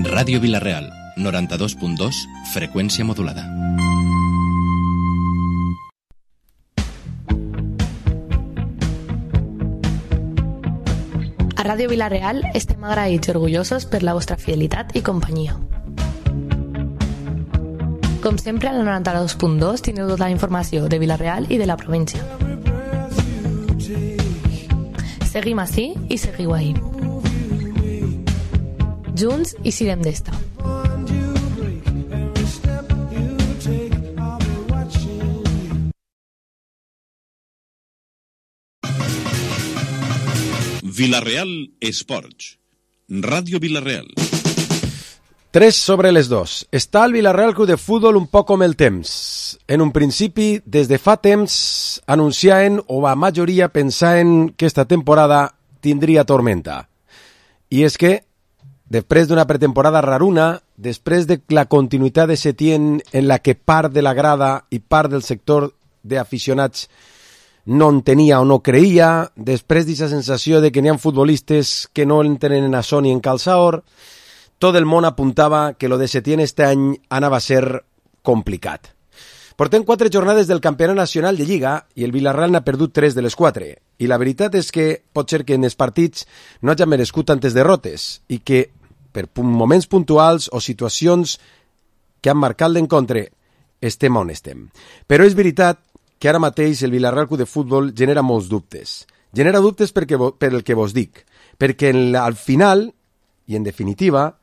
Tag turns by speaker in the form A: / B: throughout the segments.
A: Ràdio Vila-real, 92.2, freqüència modulada.
B: A Ràdio Vila-real estem agraïts i orgullosos per la vostra fidelitat i companyia. Com sempre, al 92.2 teniu tota la informació de Vila-real i de la província. Seguim ací i seguiu ahí. Junts i sirem d'esta.
C: Vila-real Esports. Ràdio Vila-real.
D: 3 sobre les 2. Està el Vila-real Club de Futbol un poc com el temps. En un principi, des de fa temps, anunciaven, o la majoria pensaven que esta temporada tindria tormenta. I és que, després d'una pretemporada raruna, després de la continuïtat de Setién en la que part de la grada i part del sector d'aficionats no en tenia o no creia, després d'aquesta sensació de que n'hi ha futbolistes que no entenen a Sony en calçaor, tot el món apuntava que lo de Setién este any anava a ser complicat. Portem 4 jornades del campionat nacional de Lliga i el Vila-real n'ha perdut 3 de les 4. I la veritat és que pot ser que en els partits no hagi merescut tantes derrotes i que per moments puntuals o situacions que han marcat l'encontre estem on estem. Però és veritat que ara mateix el Vila-real Club de Futbol genera molts dubtes. Genera dubtes per el que vos dic, perquè al final, i en definitiva,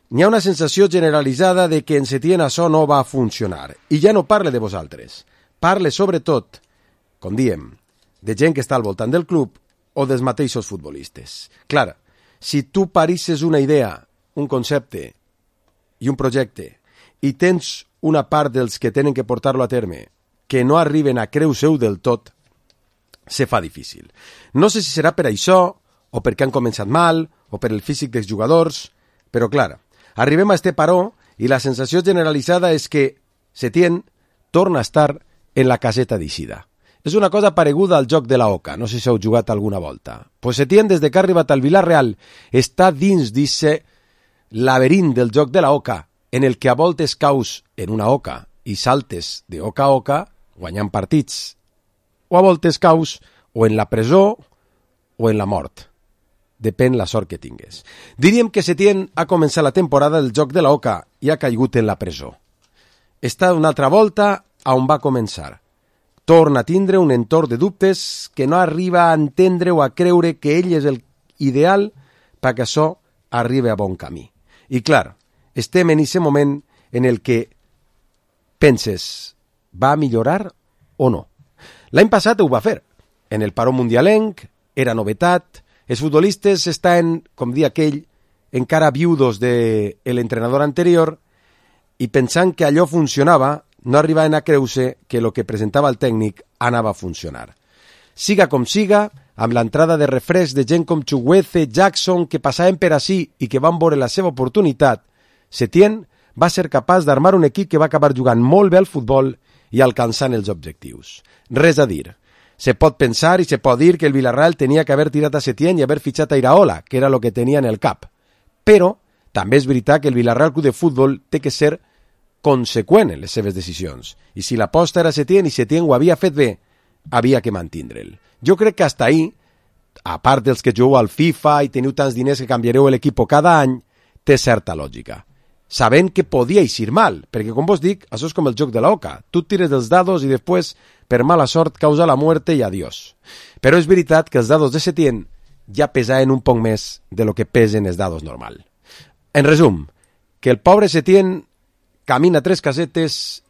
D: n'hi ha una sensació generalitzada de que en Setién això no va funcionar. I ja no parle de vosaltres. Parle sobretot, com diem, de gent que està al voltant del club o dels mateixos futbolistes. Clar, si tu parisses una idea, un concepte i un projecte i tens una part dels que tenen que portar-lo a terme que no arriben a creu seu del tot, se fa difícil. No sé si serà per això, o perquè han començat mal, o per el físic dels jugadors, però clar, arribem a este paró i la sensació generalitzada és que Setién torna a estar en la caseta d'eixida. És una cosa pareguda al joc de la Oca, no sé si heu jugat alguna volta. Pues Setién, des de que ha arribat al Vila-real, està dins d'eixe laberint del joc de la Oca, en el que a voltes caus en una oca i saltes de oca a oca, guanyant partits, o a voltes caus o en la presó o en la mort. Depèn la sort que tingues. Diríem que Setién ha començat la temporada del joc de la Oca i ha caigut en la presó. Està una altra volta a on va començar. Torna a tindre un entorn de dubtes que no arriba a entendre o a creure que ell és el ideal perquè això arribi a bon camí. I clar, estem en aquest moment en el que penses, va millorar o no? L'any passat ho va fer. En el paró mundialenc, era novetat, els futbolistes estaven, com dia aquell, encara viudos de l'entrenador anterior i pensant que allò funcionava, no arribaven a creure que el que presentava el tècnic anava a funcionar. Siga com siga, amb l'entrada de refresc de gent com Chukwueze, Jackson, que passaven per ací i que van veure la seva oportunitat, Setién va ser capaç d'armar un equip que va acabar jugant molt bé al futbol i alcançant els objectius. Res a dir. Se pot pensar i se pot dir que el Vila-real tenia que haver tirat a Setién i haver fitxat a Iraola, que era el que tenia en el cap. Però també és veritat que el Vila-real Club de Futbol té que ser conseqüent en les seves decisions. I si l'aposta era Setién i Setién ho havia fet bé, havia que mantindre'l. Jo crec que hasta ahí, a part dels que jugueu al FIFA i teniu tants diners que canviareu l'equip cada any, té certa lògica. Sabent que podia eixir mal, perquè com vos dic, això és com el joc de la Oca. Tu tires dels dados i després, per mala sort, causa la muerte i adiós. Però és veritat que els dados de Setién ja pesaven un poc més de lo que pesen els dados normal. En resum, que el pobre Setién camina 3 casetes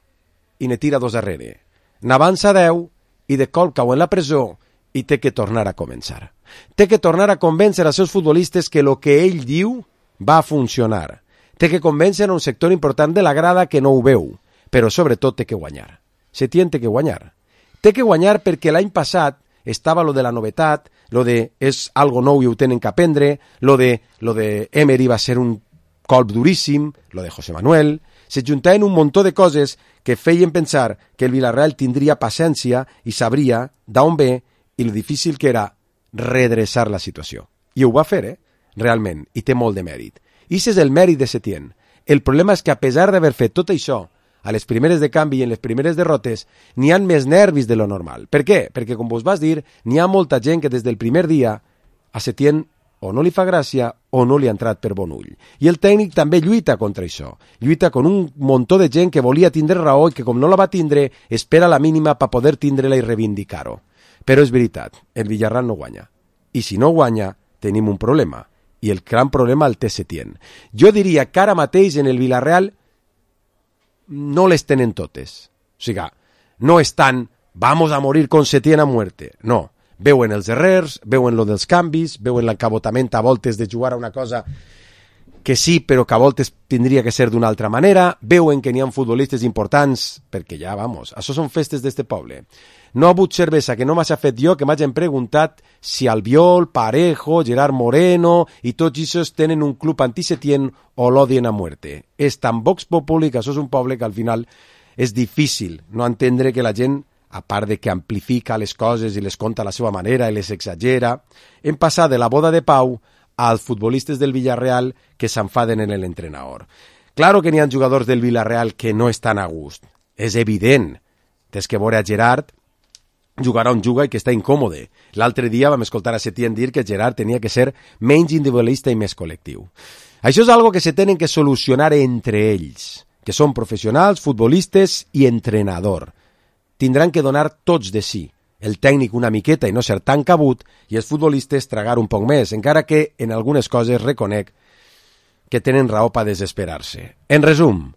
D: i ne tira 2 darrere. N'avança 10 i de cop cau en la presó i té que tornar a començar. Té que tornar a convèncer als seus futbolistes que el que ell diu va funcionar. Té que convèncer a un sector important de la grada que no ho veu, però sobretot té que guanyar. Setién té que guanyar. Té que guanyar perquè l'any passat estava lo de la novetat, lo de és algo nou i ho tenen que aprendre, lo de Emery va ser un colp duríssim, lo de José Manuel. Se juntaven un muntó de coses que feien pensar que el Vila-real tindria paciència i sabria d'on ve i lo difícil que era redreçar la situació. I ho va fer, realment, i té molt de mèrit. I és el mèrit de Setién. El problema és que a pesar d'haver fet tot això, a les primeres de canvi i en les primeres derrotes, n'hi ha més nervis de lo normal. Per què? Perquè, com vos vas dir, n'hi ha molta gent que des del primer dia a Setién o no li fa gràcia o no li ha entrat per bon ull. I el tècnic també lluita contra això. Lluita con un muntó de gent que volia tindre raó i que, com no la va tindre, espera la mínima per poder tindre-la i reivindicar-ho. Però és veritat, el Villarreal no guanya. I si no guanya, tenim un problema. I el gran problema el té Setién. Jo diria que ara mateix en el Villarreal no les tenen totes. O sigui, no estan vamos a morir con Setién a muerte. No. Veuen els errors, veuen lo dels canvis, veuen l'encabotament a voltes de jugar a una cosa que sí, però que a voltes tindria que ser d'una altra manera, veuen que n'hi ha futbolistes importants, perquè ja, vamos, això són festes d'este poble. No ha hagut cervesa que no m'hagi fet jo, que m'hagin preguntat si Albiol, Parejo, Gerard Moreno i tots ells tenen un club anti-Setién o l'odien a muerte. És tan vox populi que això és un poble que al final és difícil no entendre que la gent, a part de que amplifica les coses i les conta a la seva manera i les exagera, hem passat de la boda de Pau als futbolistes del Villarreal que s'enfaden en l'entrenador. Claro que n'hi ha jugadors del Villarreal que no estan a gust. És evident. Tens que veure a Gerard jugar on juga i que està incòmode. L'altre dia vam escoltar a Setién dir que Gerard tenia que ser menys individualista i més col·lectiu. Això és algo que se tenen que solucionar entre ells, que són professionals, futbolistes i entrenador. Tindran que donar tots de si. El tècnic una miqueta i no ser tan cabut i els futbolistes tragar un poc més, encara que en algunes coses reconec que tenen raó per desesperar-se. En resum,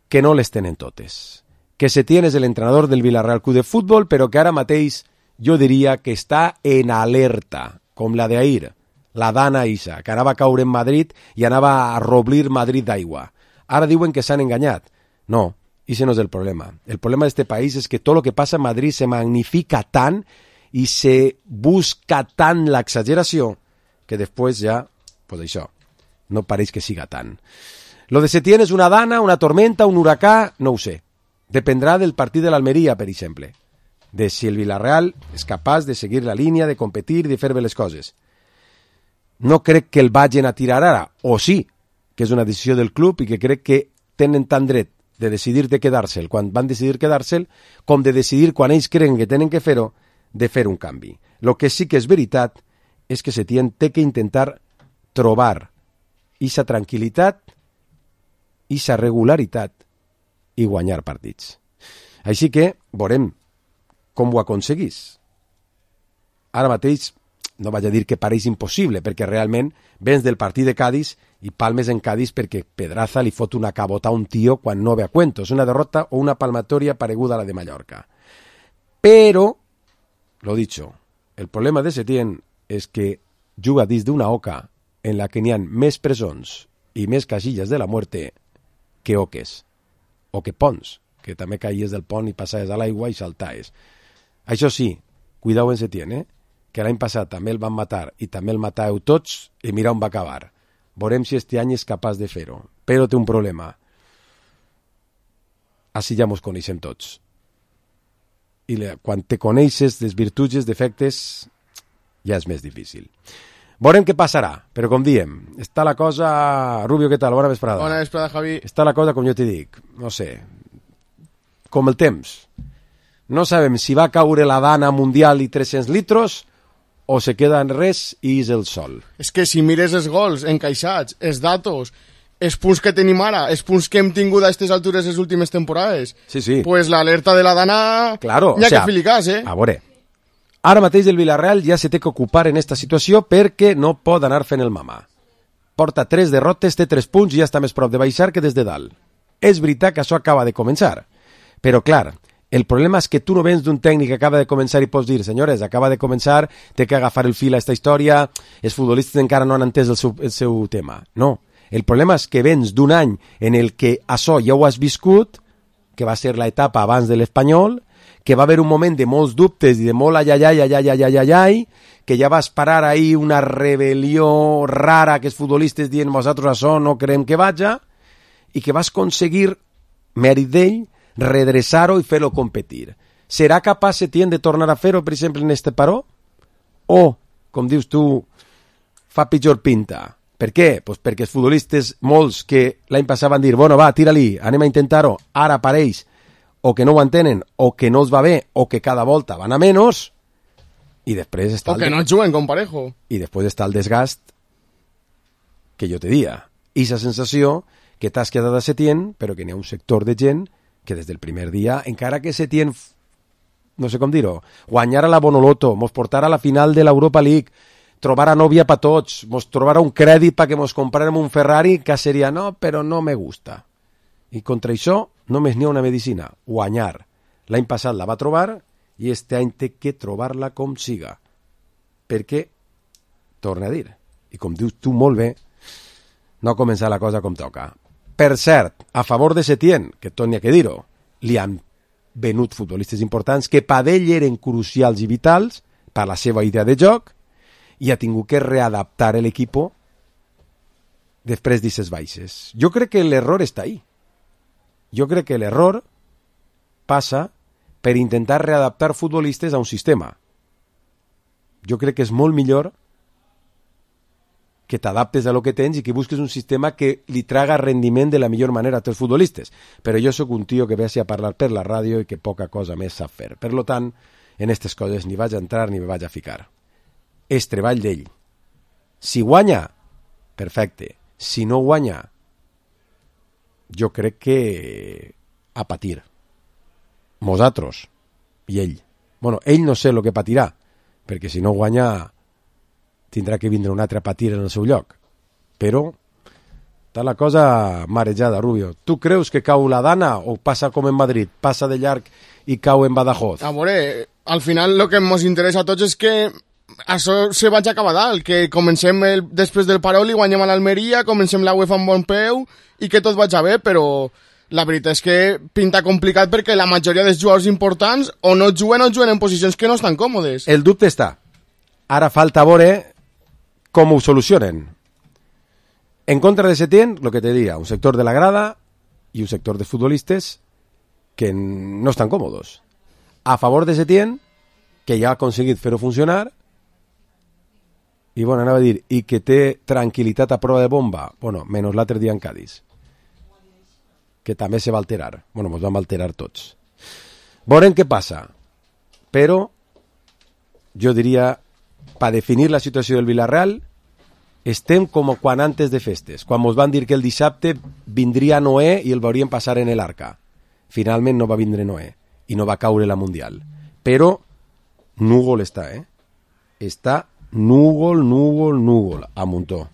D: que no les tenen totes. Que Setién és l'entrenador del Villarreal Club de Futbol, però que ara mateix jo diria que està en alerta, com la d'ahir, la Dana Isa, que anava a caure en Madrid i anava a roblir Madrid d'aigua. Ara diuen que s'han enganyat. No, ese no és el problema. El problema d'este país és que tot el que passa a Madrid se magnifica tant i se busca tant l'exageració que després ja, pues això, no pareix que siga tant. Lo de Setién és una dana, una tormenta, un huracà, no ho sé. Dependrà del partit de l'Almeria, per exemple, de si el Villarreal és capaç de seguir la línia, de competir, de fer bé les coses. No crec que el vagin a tirar ara, o sí, que és una decisió del club i que crec que tenen tant dret de decidir de quedar-se'l quan van decidir quedar-se'l, com de decidir quan ells creuen que tenen que fer-ho, de fer un canvi. El que sí que és veritat és que Setién té que intentar trobar ixa tranquil·litat, ixa regularitat i guanyar partits. Així que veurem com ho aconseguís. Ara mateix no vaig a dir que pareix impossible, perquè realment vens del partit de Cádiz i palmes en Cádiz perquè Pedraza li fot una cabota a un tio quan no ve a cuento. És una derrota o una palmatoria pareguda a la de Mallorca. Però, lo dicho, el problema de Setién és que juga dins d'una oca en la que n'hi ha més presons i més casilles de la muerte que oques. O que ponts, que també caïes del pont i passaves a l'aigua i saltaves. Això sí, cuidau en Setién, que l'any passat també el van matar i també el matàveu tots i mira on va acabar. Veurem si este any és capaç de fer-ho. Però té un problema. Així ja mos coneixem tots. I quan te coneixes les virtuts i els defectes ja és més difícil. Veurem què passarà, però com diem, està la cosa... Rubio, què tal? Bona vesprada.
E: Bona vesprada, Javi.
D: Està la cosa, com jo t'hi dic, no sé, com el temps. No sabem si va caure la dana mundial i 300 litros o se queda en res i és el sol.
E: És que si mires els gols encaixats, els datos, els punts que tenim ara, els punts que hem tingut a aquestes altures les últimes temporades,
D: sí.
E: Pues l'alerta de la dana...
D: Claro,
E: n'hi ha que filicàs,
D: A veure, ara mateix el Villarreal ja se té que ocupar en esta situació perquè no pot anar fent el mamà. Porta 3 derrotes, té 3 punts i ja està més prop de baixar que des de dalt. És veritat que això acaba de començar. Però, clar, el problema és que tu no vens d'un tècnic que acaba de començar i pots dir, senyores, acaba de començar, té que agafar el fil a esta història, els futbolistes encara no han entès el seu tema. No, el problema és que vens d'un any en el que això ja ho has viscut, que va ser l'etapa abans de l'Espanyol, que va haver un moment de molts dubtes i de molt ai, que ja vas parar ahí una rebel·lió rara que els futbolistes dient nosaltres això no creiem que vaja, i que vas aconseguir, mèrit d'ell, redreçar-ho i fer-lo competir. Serà capaç Setién de tornar a fer-ho, per exemple, en este paró? O, com dius tu, fa pitjor pinta. Per què? Pues perquè els futbolistes, molts que l'any passat van dir bueno, va, tira-li, anem a intentar-ho, ara apareix, o que no ho entenen, o que no els va bé, o que cada volta van a menys, i després està
E: o que no juguen com Parejo.
D: I després està el desgast que jo te dia. I la sensació que t'has quedat a Setién, però que n'hi ha un sector de gent que des del primer dia, encara que Setién, no sé com dir-ho, guanyara la Bonoloto, mos portara a la final de l'Europa League, trobara nòvia pa tots, mos trobara un crèdit perquè mos comprarem un Ferrari, que seria no, però no me gusta. I contra això només n'hi ha una medicina, guanyar. L'any passat la va trobar i este any té que trobar-la com siga. Perquè, torna a dir, i com dius tu molt bé, no ha començat la cosa com toca. Per cert, a favor de Setién, que tot n'hi ha que dir-ho, li han venut futbolistes importants que per ell eren crucials i vitals per la seva idea de joc i ha tingut que readaptar l'equip després d'aquestes baixes. Jo crec que l'error està ahí. Jo crec que l'error passa per intentar readaptar futbolistes a un sistema. Jo crec que és molt millor que t'adaptes a lo que tens i que busques un sistema que li traga rendiment de la millor manera a tots els futbolistes. Però jo sóc un tio que ve a parlar per la ràdio i que poca cosa més sap fer. Per tant, en aquestes coses ni vaig a entrar ni me vaig a ficar. És treball d'ell. Si guanya, perfecte. Si no guanya, jo crec que a patir. Nosaltres i ell. Bueno, ell no sé el que patirà, perquè si no guanya tindrà que vindre un altre a patir en el seu lloc. Però està la cosa marejada, Rubio. Tu creus que cau la Dana o passa com en Madrid? Passa de llarg i cau en Badajoz?
E: A veure, al final el que ens interessa a tots és que això se vagi a acabar dalt, que comencem després del Parol i guanyem a l'Almeria, comencem la UEFA amb bon peu i que tot vagi bé, però la veritat és que pinta complicat perquè la majoria dels jugadors importants o no juguen en posicions que no estan còmodes.
D: El dubte està. Ara falta veure com ho solucionen. En contra de Setién, el que te diria, un sector de la grada i un sector de futbolistes que no estan còmodes. A favor de Setién, que ja ha aconseguit fer-ho funcionar, i bueno, anava a dir, i que té tranquil·litat a prova de bomba, bueno, menys l'altre dia en Cádiz, que també se va alterar. Bueno, ens vam alterar tots. Veurem què passa. Però jo diria, per definir la situació del Villarreal, estem com quan antes de festes, quan ens van dir que el dissabte vindria Noé i el veurien passar en l'Arca. Finalment no va vindre Noé i no va caure la Mundial. Però núvol està, Està núvol, a muntó.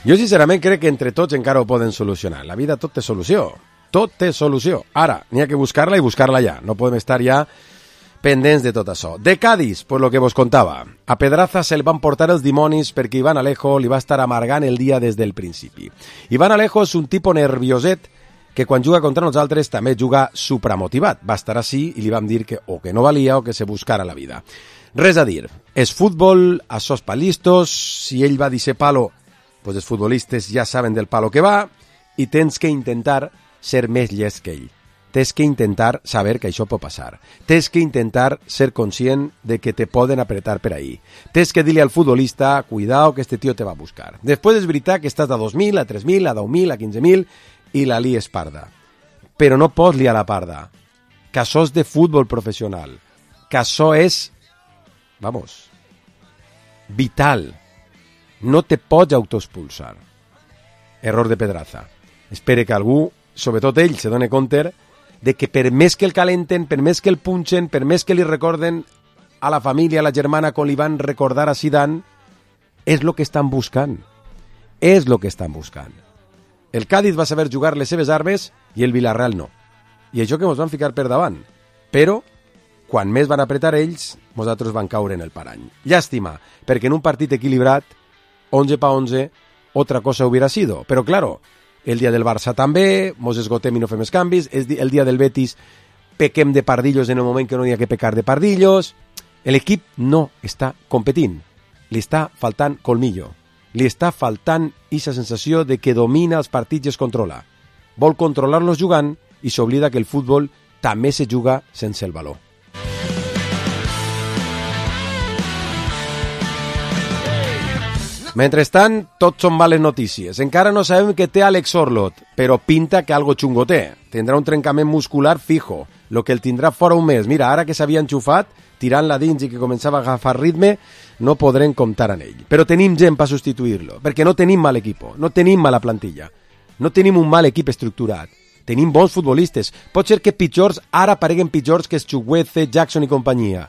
D: Jo sincerament crec que entre tots encara ho poden solucionar. La vida tot té solució. Tot té solució. Ara, n'hi ha que buscar-la i buscar-la ja. No podem estar ja pendents de tot això. De Cádiz, per lo que vos contava. A Pedraza se'l van portar els dimonis perquè Iván Alejo li va estar amargant el dia des del principi. Iván Alejo és un tipus nervioset que quan juga contra nosaltres també juga supramotivat. Va estar així i li vam dir que o que no valia o que se buscara la vida. Res a dir. És futbol, això és palistos, si ell va dir ser palo, pues els futbolistes ja saben del palo que va i tens que intentar ser més llest que ell. Tens que intentar saber que això pot passar. Tens que intentar ser conscient de que te poden apretar per ahí. Tens que dir-li al futbolista, cuidao que este tío te va a buscar. Després és veritat que estàs a 2.000, a 3.000, a 10.000, a 15.000 i la lies parda. Però no pots liar la parda. Que això és de futbol professional. Que això és, vital. No te pots autoexpulsar. error de Pedraza. Espere que algú, sobretot ell, se doni compte de que per més que el calenten, per més que el punxen, per més que li recorden a la família, a la germana, com li van recordar a Zidane, és el que estan buscant. És el que estan buscant. El Cádiz va saber jugar les seves armes i el Villarreal no. I això que ens van ficar per davant. Però, quan més van apretar ells, nosaltres van caure en el parany. Llàstima, perquè en un partit equilibrat, 11 pa 11, otra cosa hubiera sido. Però, claro, el dia del Barça també, mos esgotem i no fem els canvis, el dia del Betis pequem de pardillos en el moment que no hi ha que pecar de pardillos. L'equip no està competint, li està faltant colmillo, li està faltant aquesta sensació de que domina els partits i es controla. Vol controlar-los jugant i s'oblida que el futbol també se juga sense el valor. Mentrestant, tot són males notícies. Encara no sabem què té Alex Orlot, però pinta que algo xungo té. Tindrà un trencament muscular fijo, lo que el tindrà fora un mes. Mira, ara que s'havia enxufat, tirant-la dins i que començava a agafar ritme, no podrem comptar amb ell. Però tenim gent per substituir-lo, perquè no tenim mal equip, no tenim mala plantilla, no tenim un mal equip estructurat. Tenim bons futbolistes. Pot ser que pitjors ara pareguen pitjors que Chukwueze, Jackson i companyia.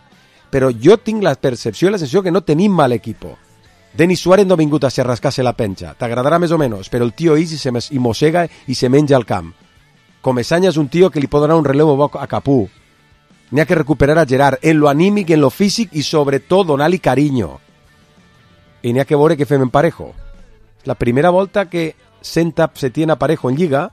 D: Però jo tinc la percepció i la sensació que no tenim mal equip. Denis Suárez no ha vingut a rascar-se la penja. T'agradarà més o menys, però el tio ix i mossega i se menja al camp. Comesaña és un tio que li pot donar un relevo a Capú. N'hi ha que recuperar a Gerard en lo anímic, en lo físic i sobretot donar-li carinyo. I n'hi ha que veure què fem en Parejo. La primera volta que senta Setién a Parejo en Lliga,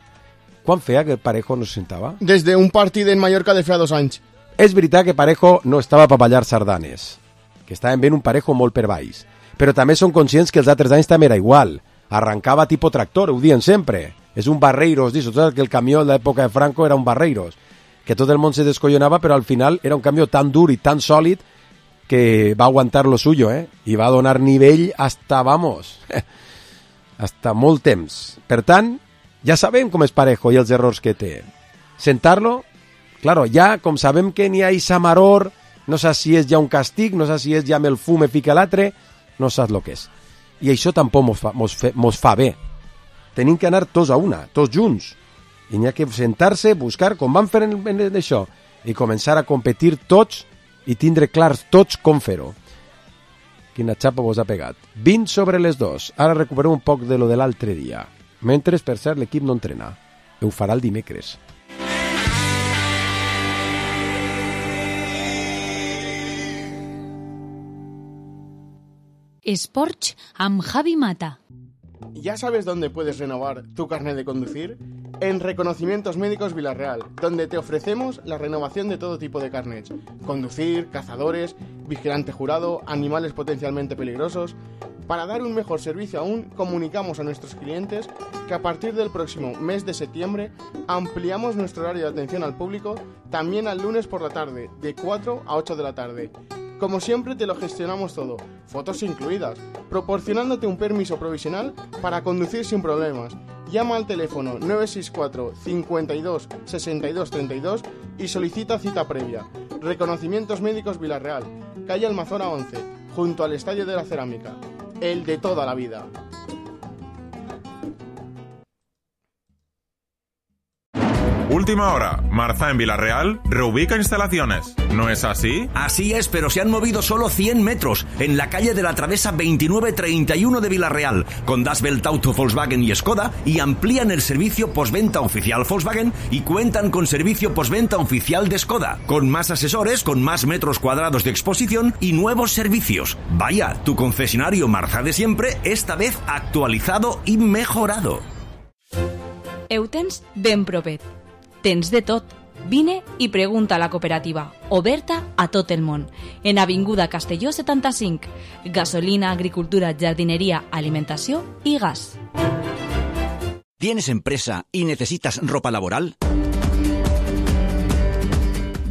D: quan feia que Parejo no se sentava?
E: Des d'un partit en Mallorca de fa 2 anys.
D: És veritat que Parejo no estava per ballar sardanes, que estaven ben un Parejo molt per baix, però també són conscients que els altres anys també era igual. Arrancava tipo tractor, ho diuen sempre. És un Barreiros, dius, que el camió de l'època de Franco era un Barreiros, que tot el món se descollonava, però al final era un camió tan dur i tan sòlid que va aguantar lo suyo, i va donar nivell hasta, vamos, hasta molt temps. Per tant, ja sabem com és Parejo i els errors que té. Sentar-lo, claro, ja com sabem que n'hi ha Isamaror, no saps si és ja un castig, no saps si és ja amb el fum fica l'altre, no saps el que és. I això tampoc mos fa bé. Tenim que anar tots a una, tots junts. I n'hi ha que sentar-se, buscar com van fer en això, i començar a competir tots i tindre clars tots com fer-ho. Quina xapa vos ha pegat. 20 sobre les 2. Ara recuperem un poc de lo de l'altre dia. Mentre, per cert, l'equip no entrena. Ho farà el dimecres.
F: Esports amb Javi Mata.
E: ¿Ya sabes dónde puedes renovar tu carnet de conducir? En Reconocimientos Médicos Villarreal, donde te ofrecemos la renovación de todo tipo de carnets. Conducir, cazadores, vigilante jurado, animales potencialmente peligrosos. Para dar un mejor servicio aún, comunicamos a nuestros clientes que a partir del próximo mes de septiembre ampliamos nuestro horario de atención al público también al lunes por la tarde, de 4 a 8 de la tarde. Como siempre te lo gestionamos todo, fotos incluidas, proporcionándote un permiso provisional para conducir sin problemas. Llama al teléfono 964 52 62 32 y solicita cita previa. Reconocimientos Médicos Villarreal, calle Almazora 11, junto al Estadio de la Cerámica. El de toda la vida.
G: Última hora. Marza en Villarreal reubica instalaciones. ¿No es así?
H: Así es, pero se han movido solo 100 metros en la calle de la Travesa 2931 de Villarreal, con Das Welt Auto Volkswagen y Skoda, y amplían el servicio postventa oficial Volkswagen y cuentan con servicio postventa oficial de Skoda, con más asesores, con más metros cuadrados de exposición y nuevos servicios. Vaya, tu concesionario Marza de siempre, esta vez actualizado i mejorado.
F: Eutens ben propet. Tens de tot. Vine i pregunta a la cooperativa, oberta a tot el món. En Avinguda Castelló 75. Gasolina, agricultura, jardinería, alimentació i gas.
H: ¿Tienes empresa y necesitas ropa laboral?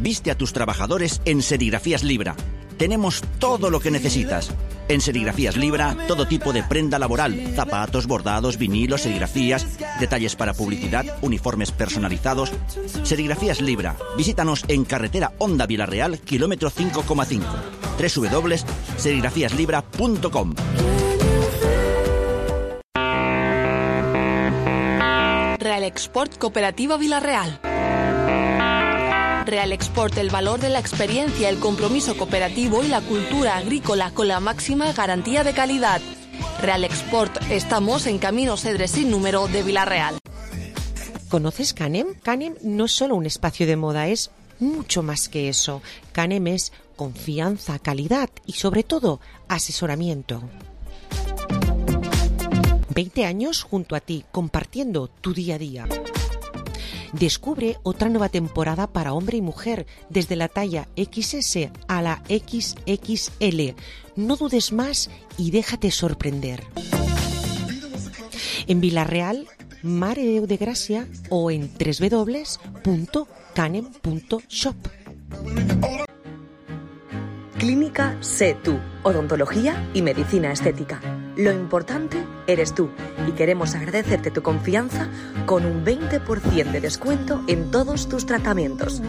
H: Viste a tus trabajadores en Serigrafías Libra. Tenemos todo lo que necesitas. En Serigrafías Libra, todo tipo de prenda laboral, zapatos, bordados, vinilos, serigrafías, detalles para publicidad, uniformes personalizados. Serigrafías Libra. Visítanos en carretera Honda Villarreal, kilómetro 5,5. www.serigrafíaslibra.com.
I: Real Export Cooperativa Vilarreal. Real Export, el valor de la experiencia, el compromiso cooperativo y la cultura agrícola con la máxima garantía de calidad. Real Export, estamos en Camino Cedres sin número de Vilarreal.
J: ¿Conoces Canem? Canem no es solo un espacio de moda, es mucho más que eso. Canem es confianza, calidad y sobre todo asesoramiento. 20 años junto a ti, compartiendo tu día a día. Descubre otra nueva temporada para hombre y mujer, desde la talla XS a la XXL. No dudes más y déjate sorprender. En Vilarreal, Mare de Gracia o en www.canem.shop.
K: Clínica Sé Tú, odontología y medicina estética. Lo importante eres tú y queremos agradecerte tu confianza con un 20% de descuento en todos tus tratamientos.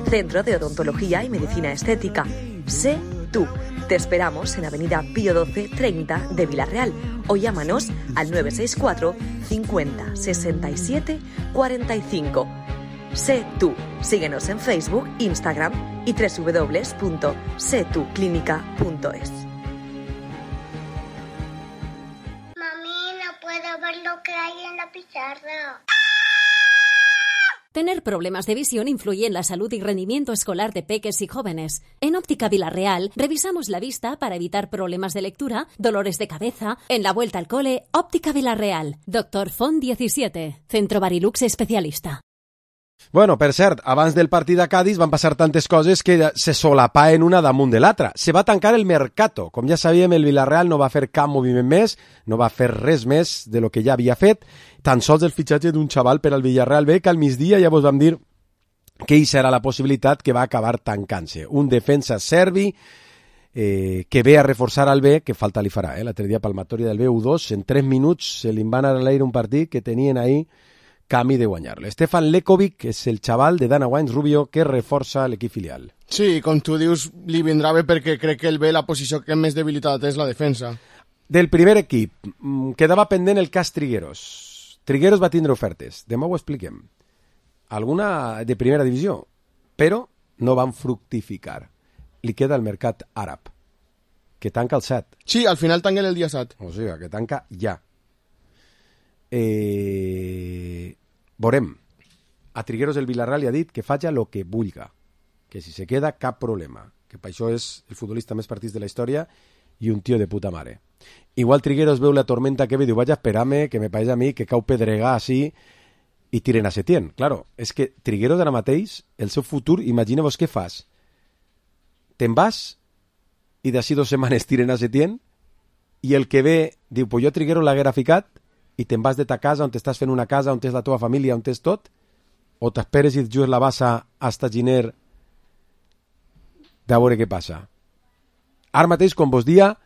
K: Centro de Odontología y Medicina Estética. Sé Tú. Te esperamos en Avenida Pío 12 30 de Vilarreal o llámanos al 964 50 67 45. Sé Tú. Síguenos en Facebook, Instagram y www.setuclinica.es.
L: Mami, no puedo ver lo que hay en la pizarra.
M: Tener problemas de visión influye en la salud y rendimiento escolar de peques y jóvenes. En Óptica Vilarreal revisamos la vista para evitar problemas de lectura, dolores de cabeza. En la vuelta al cole, Óptica Vilarreal. Dr. Font 17, Centro Barilux especialista.
D: Bueno, per cert, abans del partit a Cádiz van passar tantes coses que se solapaen una damunt de l'altra. Se va tancar el Mercato. Com ja sabíem, el Villarreal no va fer cap moviment més, no va fer res més de lo que ja havia fet, tan sols el fitxatge d'un xaval per al Villarreal B, que al migdia ja vos vam dir que hi serà la possibilitat que va acabar tancant-se. Un defensa serbi que ve a reforçar al B, que falta li farà, l'altre dia palmatòria del B, U2, en 3 minuts se li van a l'aire un partit que tenien ahí camí de guanyar-lo. Stefan Lekovic és el xaval de Dana Wines Rubio que reforça l'equip filial.
E: Sí, com tu dius, li vindrà bé perquè crec que el B la posició que més debilitat és la defensa.
D: Del primer equip, quedava pendent el cas Trigueros. Trigueros va tindre ofertes, demà ho expliquem. Alguna de primera divisió, però no van fructificar. Li queda el mercat àrab, que tanca el 7.
E: Sí, al final tanquen el dia 7.
D: O sigui, que tanca ja. Veurem. A Trigueros el Villarreal li ha dit que faci el que vulga, que si se queda cap problema, que per això és el futbolista més partits de la història i un tio de puta mare. Igual Trigueros veu la tormenta que ve i diu, vaig a esperar-me, que me pareix a mi que cau pedregar així i tiren a Setién. Claro, és que Trigueros ara mateix, el seu futur, imagineu-vos què fas. Te'n vas i d'ací 2 setmanes tiren a Setién i el que ve diu, pues jo Trigueros l'haguera ficat i te'n vas de ta casa, on t'estàs fent una casa, on tens la teva família, on tens tot, o t'esperes i et jugues la bassa hasta Giner de veure què passa. Ara mateix, com vos dia,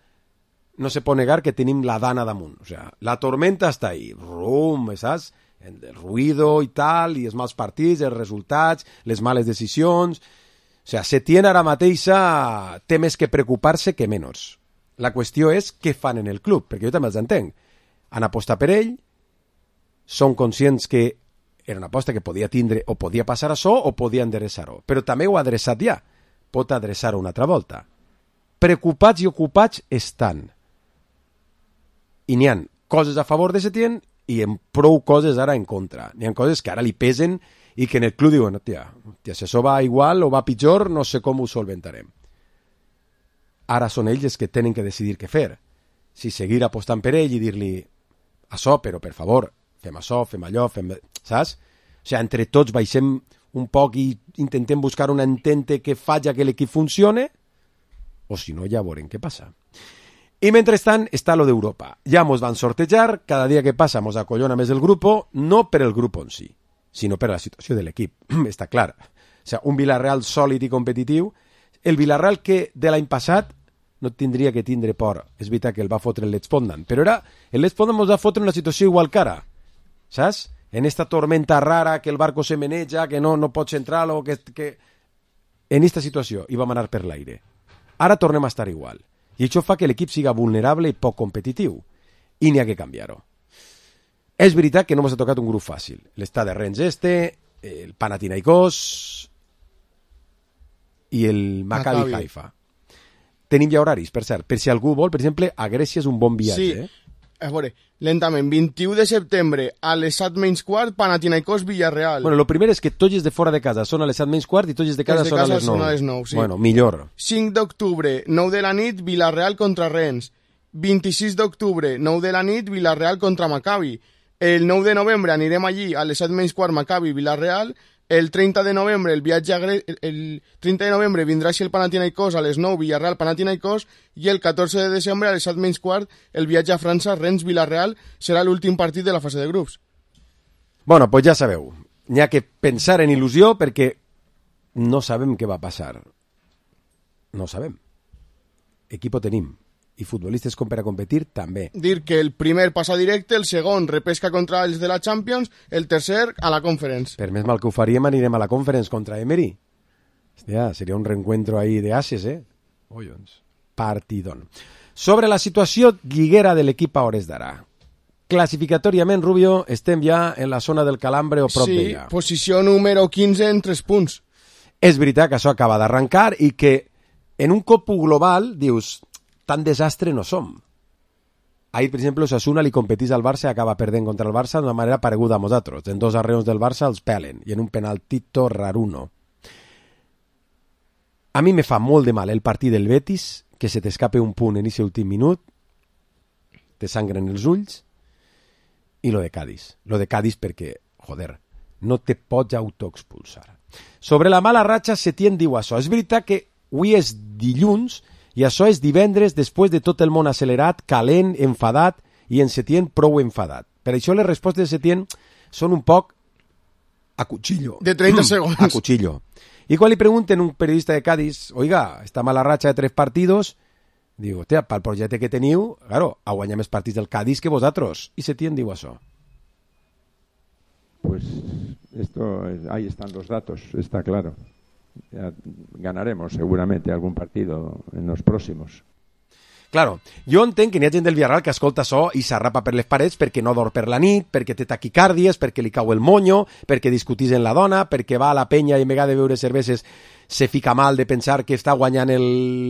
D: no se pot negar que tenim la dana damunt. O sea, la tormenta està ahí, rum, saps? El ruido i tal, i els mals partits, els resultats, les males decisions. O sea, Setién ara mateixa té més que preocupar-se que menys. La qüestió és què fan en el club, perquè jo també els entenc. Han apostat per ell, són conscients que era una aposta que podia tindre o podia passar això o podia endereçar-ho, però també ho ha adreçat ja, pot adreçar-ho una altra volta. Preocupats i ocupats estan. I n'hi ha coses a favor de Setién i en prou coses ara en contra. N'hi ha coses que ara li pesen i que en el club diuen, tia, si això va igual o va pitjor, no sé com ho solventarem. Ara són ells els que tenen que decidir què fer. Si seguir apostant per ell i dir-li això, però per favor, fem això, fem allò, saps? O sigui, entre tots baixem un poc i intentem buscar una entente que faci que l'equip funcione, o si no, ja veurem què passa. I mentrestant està lo d'Europa. Ja mos van sortejar, cada dia que passa mos acollona més el grup, no per el grup en si, sinó per la situació de l'equip. Està clar. O sigui, un Villarreal sòlid i competitiu, el Villarreal que de l'any passat no tindria que tindre por. És veritat que el va fotre el l'Espondan, però era el l'Espondan mos va fotre una situació igual que ara, saps? En esta tormenta rara, que el barco se meneja, que no pots entrar-lo, que... En esta situació i vam anar per l'aire. Ara tornem a estar igual. I això fa que l'equip siga vulnerable i poc competitiu. I n'hi ha que canviar-ho. És veritat que no ens ha tocat un grup fàcil. L'Stade Rennes el Panathinaikos i el Maccabi Haifa. Tenim ja horaris, per cert. Per si algú vol, per exemple, a Grècia és un bon viatge.
E: Sí, a veure, lentament, 21 de setembre a les 7:15, Panathinaikos Villarreal.
D: Bueno, lo primer és que tots els de fora de casa són a les 7:15 i tots els de casa són a les 9.
E: Sí.
D: Bueno, millor.
E: 5 d'octubre, 9 de la nit, Villarreal contra Rennes. 26 d'octubre, 9 de la nit, Villarreal contra Maccabi. El 9 de novembre anirem allí a les 7:15, Maccabi, Villarreal. El 30 de novembre el 30 de novembre vindrà així el Panathinaikos a les 9, Villarreal, Panathinaikos, i el 14 de desembre a les 7:15 el viatge a França, Rennes, Villarreal, serà l'últim partit de la fase de grups.
D: Bueno, pues ja sabeu, n'hi ha que pensar en il·lusió perquè no sabem què va passar. No sabem. Equipo tenim. I futbolistes com per a competir també.
E: Dir que el primer passa directe, el segon repesca contra els de la Champions, el tercer a la Conference.
D: Per més mal que ho faríem, anirem a la Conference contra Emery. Hòstia, seria un reencuentro ahí de ases, Collons. Partidón. Sobre la situació lliguera de l'equip a hores d'ara. Classificatòriament, Rubio, estem ja en la zona del calambre o prop d'ella.
E: Sí, posició número 15 en 3 punts.
D: És veritat que això acaba d'arrencar i que en un cop global dius... tan desastre no som. Ahir, per exemple, Osasuna li competís al Barça i acaba perdent contra el Barça d'una manera pareguda a nosaltres. En 2 arreons del Barça els pelen i en un penaltito raruno. A mi me fa molt de mal el partit del Betis, que se t'escape un punt en aquest últim minut, te sangren els ulls, i lo de Cádiz. Lo de Cádiz perquè, joder, no te pots autoexpulsar. Sobre la mala ratxa, Setién diu això. És veritat que avui és dilluns i això és divendres després de tot el món accelerat, calent, enfadat i en Setién prou enfadat. Per això les respostes de Setién són un poc a cuchillo.
E: De 30 segons.
D: A cuchillo. Y cuando le pregunten a un periodista de Cádiz, oiga, esta mala racha de 3 partidos, digo, hostia, para el proyecto que teniu, claro, a guanyar més partits del Cádiz que vosotros. Y Setién diu això.
N: Pues ahí están los datos, está claro. Ya ganaremos seguramente algún partido en los próximos.
D: Claro, jo entenc que n'hi ha gent del Villarreal que escolta això i s'arrapa per les parets perquè no dorm per la nit, perquè té taquicàrdies, perquè li cau el monyo, perquè discutís en la dona, perquè va a la penya i en vegada de beure cerveses se fica mal de pensar que està guanyant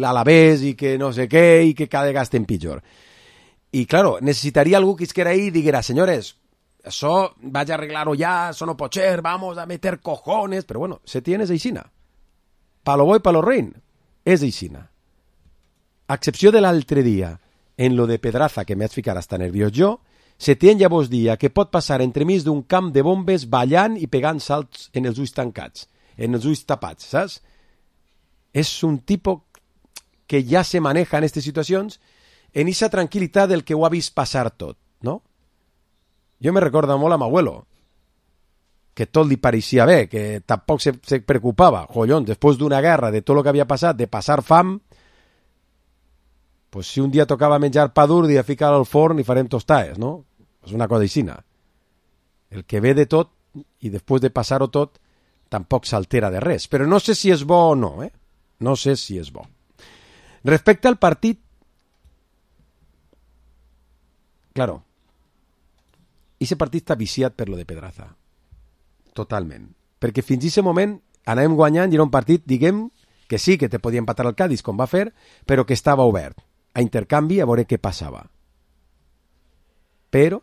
D: l'Alavés i que no sé què i que cada vegada estem pitjor. I claro, necessitaria algú que isquera ahí i diguera, senyores, això vaig a arreglar-ho ja, això no pot ser, vamos a meter cojones, però bueno, Setién és aixina. Palo bo i palo rein, és aixina. A excepció de l'altre dia, en lo de Pedraza, que m'haig ficat hasta nerviós jo, Setién ja vos dia que pot passar entremig d'un camp de bombes ballant i pegant salts en els ulls tancats, en els ulls tapats, saps? És un tipus que ja se maneja en aquestes situacions en esa tranquil·litat del que ho ha vist passar tot, no? Jo me recordo molt a m'abuelo, que tot li pareixia bé, que tampoc se preocupava. Collons, després d'una guerra, de tot el que havia passat, de passar fam, pues si un dia tocava menjar pa dur, dia ficar al forn i farem tostades, no? És una cosa aixina. El que ve de tot, i després de passar-ho tot, tampoc s'altera de res. Però no sé si és bo o no, No sé si és bo. Respecte al partit, claro, ese partit està viciat per lo de Pedraza. Totalment. Perquè fins a aquest moment anàvem guanyant i era un partit, diguem, que sí, que te podia empatar el Cádiz, com va fer, però que estava obert a intercanvi a veure què passava. Però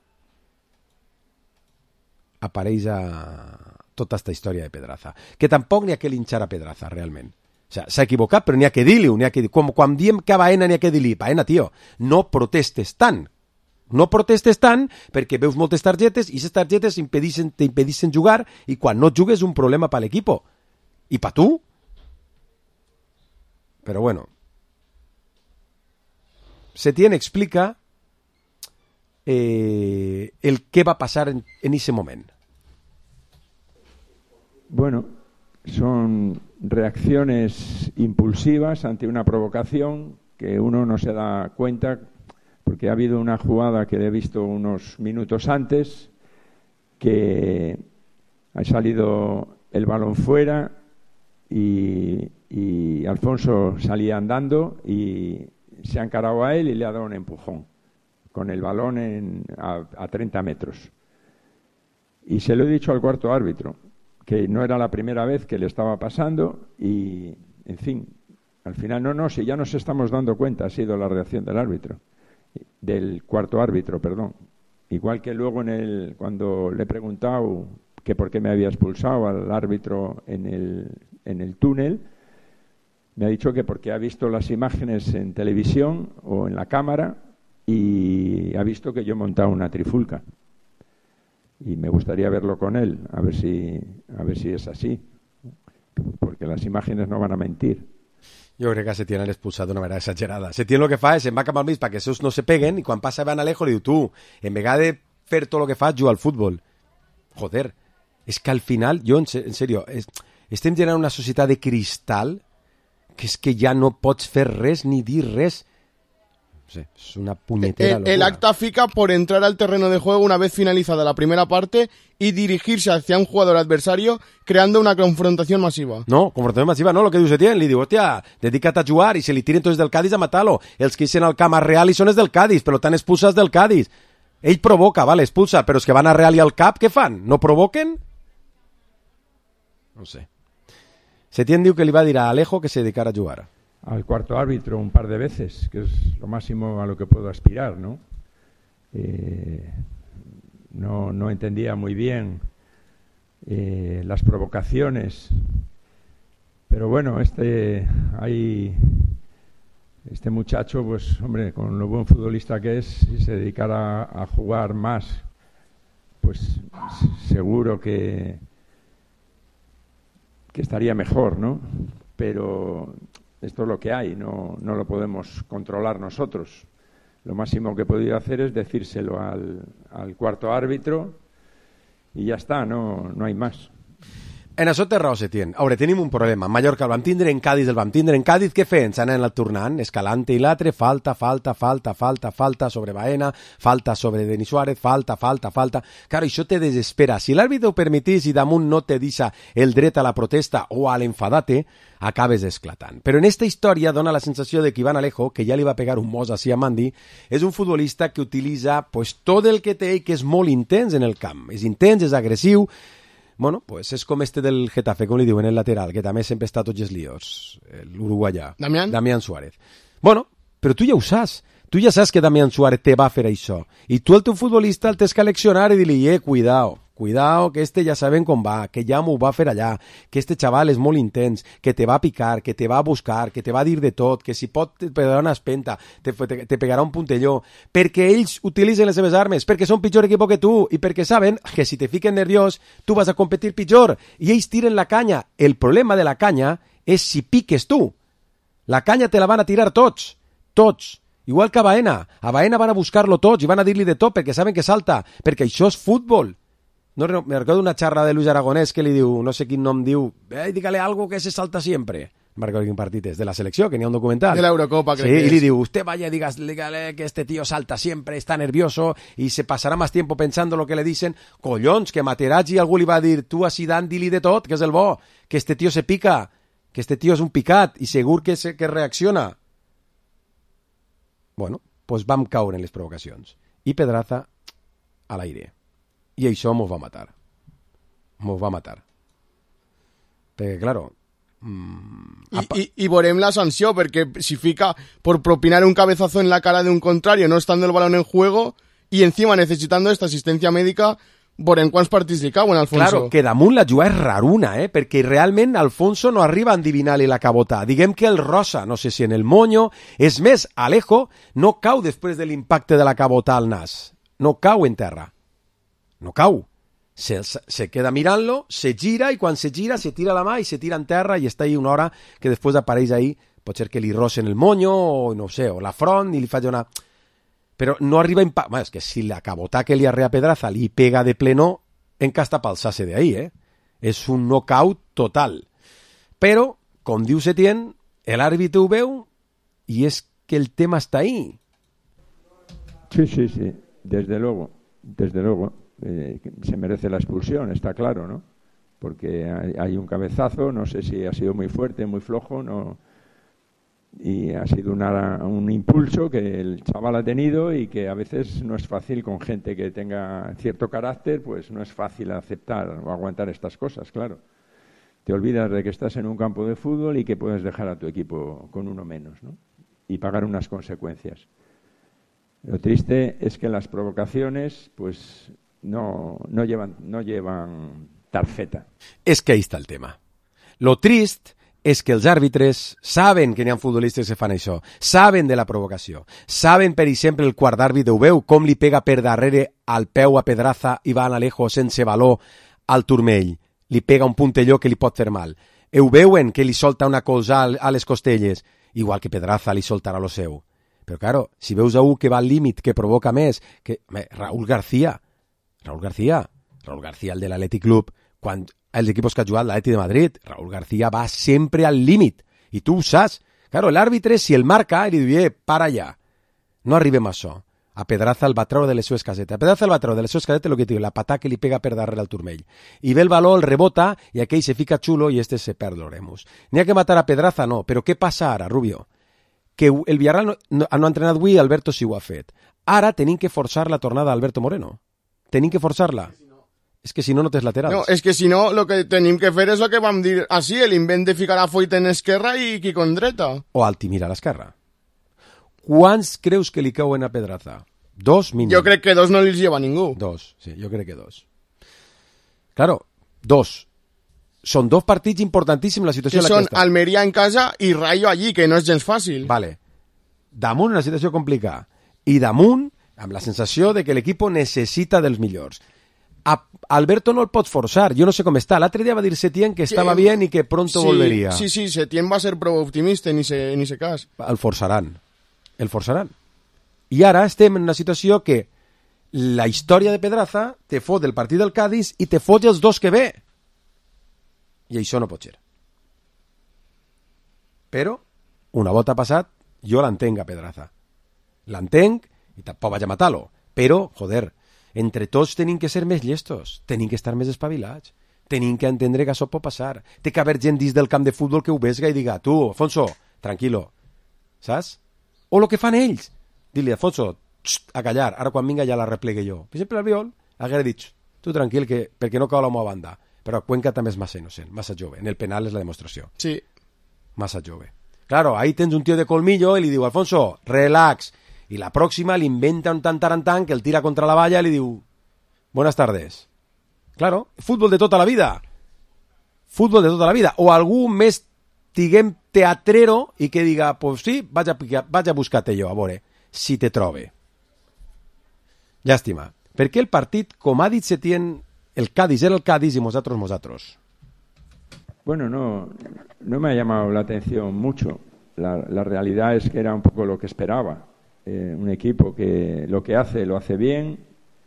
D: apareix tota aquesta història de Pedraza. Que tampoc n'hi ha que linxar a Pedraza, realment. O sea, s'ha equivocat, però n'hi ha que dir-li. Quan diem que a Baena n'hi ha que dir-li, Baena, tio, no protestes tant. No protestes tant perquè veus moltes targetes i aquestes targetes t'impedixen jugar i quan no jugues és un problema per l'equip. I per tu? Però bueno. Setién explica el què va passar en ese moment.
N: Bueno, son reacciones impulsivas ante una provocación que uno no se da cuenta porque ha habido una jugada que he visto unos minutos antes que ha salido el balón fuera y Alfonso salía andando y se ha encarado a él y le ha dado un empujón con el balón a 30 metros. Y se lo he dicho al cuarto árbitro, que no era la primera vez que le estaba pasando y, en fin, al final, si ya nos estamos dando cuenta, ha sido la reacción del cuarto árbitro, perdón. Igual que luego cuando le he preguntado que por qué me había expulsado al árbitro en el túnel, me ha dicho que porque ha visto las imágenes en televisión o en la cámara y ha visto que yo he montado una trifulca. Y me gustaría verlo con él, a ver si es así, porque las imágenes no van a mentir.
D: Jo crec que Setién l'ha expulsat d'una manera exagerada. Setién el que fa és se'n va cap al mig perquè els seus no se peguen i quan passa Iván Alejo li diu tu, en vegada de fer tot el que fas, juga al futbol. Joder, és que al final, jo en sèrio, estem generant una societat de cristal que és que ja no pots fer res ni dir res. No sé, es una puñetera locura.
E: El acta fica por entrar al terreno de juego una vez finalizada la primera parte y dirigirse hacia un jugador adversario creando una confrontación masiva.
D: No, confrontació masiva no, el que diu Setién, li diu, hòstia, dedica't a jugar i se li tiren tots del Cádiz a matar-lo. Els que eixen al camp a Real i són els del Cádiz, per tant expulsats del Cádiz. Ell provoca, vale, expulsa, però els que van a Real i al cap, què fan? No provoquen? No sé. Setién diu que li va dir a Alejo que se dedicara a jugar.
N: Al cuarto árbitro un par de veces, que es lo máximo a lo que puedo aspirar, ¿no? No entendía muy bien las provocaciones, pero bueno, este muchacho, pues hombre, con lo buen futbolista que es, si se dedicara a jugar más, pues seguro que estaría mejor, ¿no? Pero esto es lo que hay, no lo podemos controlar nosotros. Lo máximo que he podido hacer es decírselo al cuarto árbitro y ya está, no hay más.
D: En això té raó Setién. A veure, tenim un problema. Mallorca el vam tindre, en Cádiz el vam tindre. En Cádiz què feien? S'han anat tornant, Escalante i l'altre, falta sobre Baena, falta sobre Denis Suárez, falta. Claro, això te desespera. Si l'àrbitre ho permetís i damunt no te deixa el dret a la protesta o a l'enfadate, acabes esclatant. Però en esta història dona la sensació de que Iván Alejo, que ja li va pegar un mos així a Mandi, és un futbolista que utilitza pues, tot el que té i que és molt intens en el camp. És intens, és agressiu. Bueno, pues és com este del Getafe, com li diuen, el lateral, que també sempre està a tots els líos, l'uruguaià. Damián Suárez. Bueno, però tu ja ho saps. Tu ja saps que Damián Suárez te va fer això. I tu, el teu futbolista, el tens que leccionar i dir-li, cuidao, que este ja sabem com va, que ja m'ho va fer allà, que este xaval és molt intens, que te va picar, que te va buscar, que te va dir de tot, que si pot te pegarà una espenta, te pegarà un puntelló, perquè ells utilitzen les seves armes, perquè són pitjor equip que tu i perquè saben que si te fiquen nerviós tu vas a competir pitjor i ells tiren la canya. El problema de la canya és si piques tu. La canya te la van a tirar tots. Igual que a Baena. A Baena van a buscar-lo tots i van a dir-li de tot perquè saben que salta, perquè això és futbol. No, me recordo una xarra de Luis Aragonés que li diu, no sé quin nom diu, dígale algo que se salta siempre. Me recordo quin partit és, de la selecció, que n'hi ha un documental.
E: De la Eurocopa, creo
D: que
E: es.
D: Y le digo, usted vaya, dígale que este tío salta siempre, está nervioso y se pasará más tiempo pensando lo que le dicen. Collons, que Materazzi algú li va dir, tu a Zidane di-li de tot, que és el bo, que este tío se pica, que este tío és un picat i segur que reacciona. Bueno, pues vam caure en les provocacions. I Pedraza a l'aire. I això mos va matar. Perquè, claro...
E: Y veurem la sanció, perquè si fica por propinar un cabezazo en la cara de un contrario, no estando el balón en juego, y encima necesitando esta asistencia médica, veurem quants partits li cauen, Alfonso.
D: Claro, que damunt la jugada és raruna, perquè realment Alfonso no arriba a endivinar-li la cabota. Diguem que el rosa, no sé si en el moño... És més, Alejo no cau després de l'impacte de la cabota al nas. No cau en terra. No cau. Se queda mirant-lo, se gira i quan se gira se tira la mà i se tira en terra i està ahí una hora que després apareix ahí, pot ser que li rocen el moño o no sé, o la front i li faci una... Però no arriba a impactar... Bueno, és que si la cabota que li arrea Pedraza li pega de pleno, encasta palsar-se de ahí, És un knockout total. Però, com diu Setién, l'àrbitre ho veu i és que el tema està ahí.
N: Sí, desde luego. Se merece la expulsión, está claro, ¿no? Porque hay un cabezazo, no sé si ha sido muy fuerte, muy flojo, no Y ha sido un impulso que el chaval ha tenido y que a veces no es fácil con gente que tenga cierto carácter, pues no es fácil aceptar o aguantar estas cosas, claro. Te olvidas de que estás en un campo de fútbol y que puedes dejar a tu equipo con uno menos, ¿no? Y pagar unas consecuencias. Lo triste es que las provocaciones pues no llevan tarjeta.
D: És que ahí està el tema. Lo trist és que els àrbitres saben que n'hi ha futbolistes que fan això, saben de la provocació, saben, per exemple, el quart d'àrbit, ho veu, com li pega per darrere al peu a Pedraza i va a Alejo sense valor al turmell, li pega un puntelló que li pot fer mal. Ho veuen que li solta una cosa a les costelles, igual que Pedraza li soltarà lo seu. Però, claro, si veus a un que va al límit, que provoca més, que Raúl García, el de l'Atlètic Club, quan els equipos que ha jugat l'Atlètic de Madrid, Raúl García va sempre al límit, i tu ho saps. Claro, l'àrbitre, si el marca, li diu, para allà, no arribem a això. A Pedraza el va treure de les seves casetes. A Pedraza el va treure de les seves casetes el que diu, la patà que li pega per darrere al turmell. I ve el valor, el rebota, i aquell se fica xulo i este se perd l'oremus. N'hi ha que matar a Pedraza? No, però què passa ara, Rubio? Que el Villarreal no ha entrenat avui, Alberto sí ho ha fet. Ara tenim que forçar la tornada d'Alberto Moreno. Tenim que forçar-la. És que si no, no tens laterals.
E: No, és que si no, el que tenim que fer és el que vam dir així, l'invent de ficar a Foyt en esquerra i Quico en dreta.
D: O Altimir a l'esquerra. Quants creus que li cauen a Pedraza? 2 mínim.
E: Jo crec que 2 no li lleva ningú.
D: 2, sí, jo crec que 2. Claro, 2. Són 2 partits importantíssims la situació
E: que
D: en la que
E: són Almeria en casa i Rayo allí, que no és gens fàcil.
D: Vale. Damunt una situació complicada. I damunt, amb la sensació de que l'equip necessita dels millors. Alberto no el pot forçar, jo no sé com està. L'altre dia va dir Setién que estava bien i que pronto volveria.
E: Sí, Setién va ser prou optimista en ese cas.
D: El forçaran. I ara estem en una situació que la història de Pedraza te fot del partit del Cádiz i te fot els 2 que ve. I això no pot ser. Però, una volta passat, jo l'entenc a Pedraza. L'entenc i tampoc vaig a matar-lo. Però, joder, entre tots tenim que ser més llestos, tenim que estar més espavilats, tenim que entendre que això pot passar. Té que haver gent dins del camp de futbol que ho vesga i diga, tu, Afonso, tranquilo, saps? O el que fan ells. Dile, Afonso, a callar, ara quan vinga ja la replegue jo. Per exemple, Albiol haguera dit, tu tranquil, que perquè no cau la meva banda. Però Cuenca també és massa innocent, massa jove. En el penal és la demostració.
E: Sí.
D: Massa jove. Claro, ahí tens un tío de colmillo i li diu, Alfonso, relax. I la pròxima li inventa un tan que el tira contra la valla i li diu, buenas tardes. Claro, fútbol de tota la vida. Fútbol de tota la vida. O algú més, diguem, teatrero i que diga, pues sí, vaig a buscar-te jo, a veure si te trobe. Llàstima. Perquè el partit, com ha dit Setién, el Cádiz era el Cádiz y nosotros.
N: Bueno, no me ha llamado la atención mucho. La realidad es que era un poco lo que esperaba. Un equipo que lo que hace, lo hace bien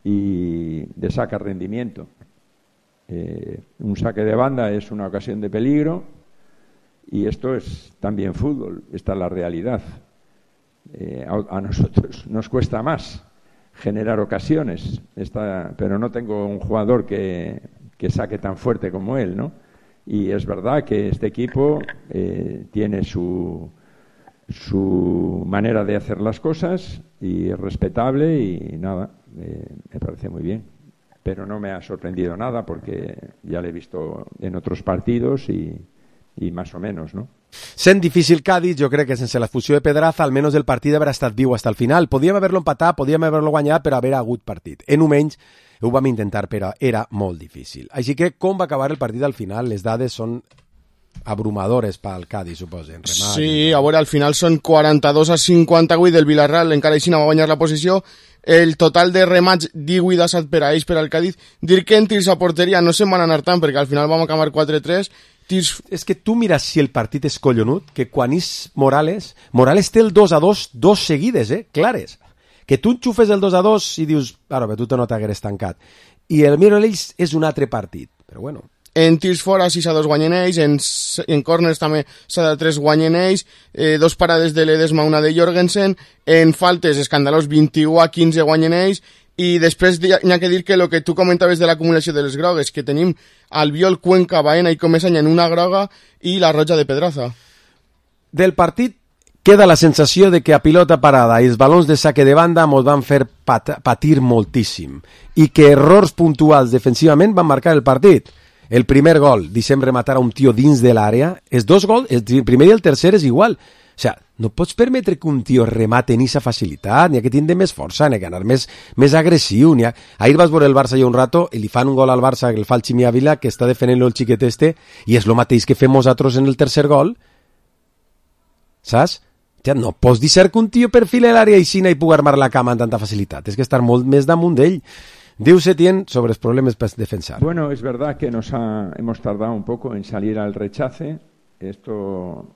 N: y le saca rendimiento. Un saque de banda es una ocasión de peligro y esto es también fútbol, esta es la realidad. A nosotros nos cuesta más generar ocasiones, pero no tengo un jugador que saque tan fuerte como él, ¿no? Y es verdad que este equipo tiene su manera de hacer las cosas y es respetable y nada, me parece muy bien. Pero no me ha sorprendido nada porque ya lo he visto en otros partidos y más o menos, ¿no?
D: Sent difícil Cádiz, jo crec que sense la fusió de Pedraza almenys el partit haurà estat viu fins al final. Podíem haver-lo empatat, podíem haver-lo guanyat, però haver hagut partit. En un menys ho vam intentar, però era molt difícil. Així que com va acabar el partit al final? Les dades són abrumadores pel Cádiz, suposen.
E: Sí, a veure, al final són 42-58 del Villarreal, encara així no va guanyar la posició. El total de remats 18-7 per a ells, per al Cádiz. Dir que en tirs a porteria no se'n van anar tant, perquè al final vam acabar 4-3.
D: És que tu mires si el partit és collonut, que quan és Morales té el 2-2, 2 seguides, clares. Que tu enxufes el 2-2 i dius, però tu no t'hagueres tancat. I el Miralells és un altre partit, però bueno.
E: En tirs fora 6-2 guanyen ells, en corners també 7-3 guanyen ells, 2 parades de Ledesma, una de Jorgensen, en faltes escandalós 21-15 guanyen ells, i després n'hi ha que dir que el que tu comentaves de l'acumulació de les grogues, que tenim Albiol, Cuenca, Baena i Comesaña en una groga i la roja de Pedraza.
D: Del partit queda la sensació de que a pilota parada i els balons de saque de banda mos van fer patir moltíssim i que errors puntuals defensivament van marcar el partit. El primer gol, deixem rematar a un tio dins de l'àrea, els dos gols, el primer i el tercer és igual. O sigui, no pots permetre que un tio remate en aquesta facilitat, n'hi ha que tindre més força, n'hi ha que anar més agressiu. Ahir vas veure el Barça ja un rato i li fan un gol al Barça que el fa el Ximi Ávila, que està defendent el xiquet este, i és el mateix que fem nosaltres en el tercer gol. Saps? Ja no pots dir que un tio perfile l'àrea i pugui armar la cama amb tanta facilitat. És que estar molt més damunt d'ell. Diu Setién sobre los problemas para defensar.
N: Bueno, es verdad que hemos tardado un poco en salir al rechace. Esto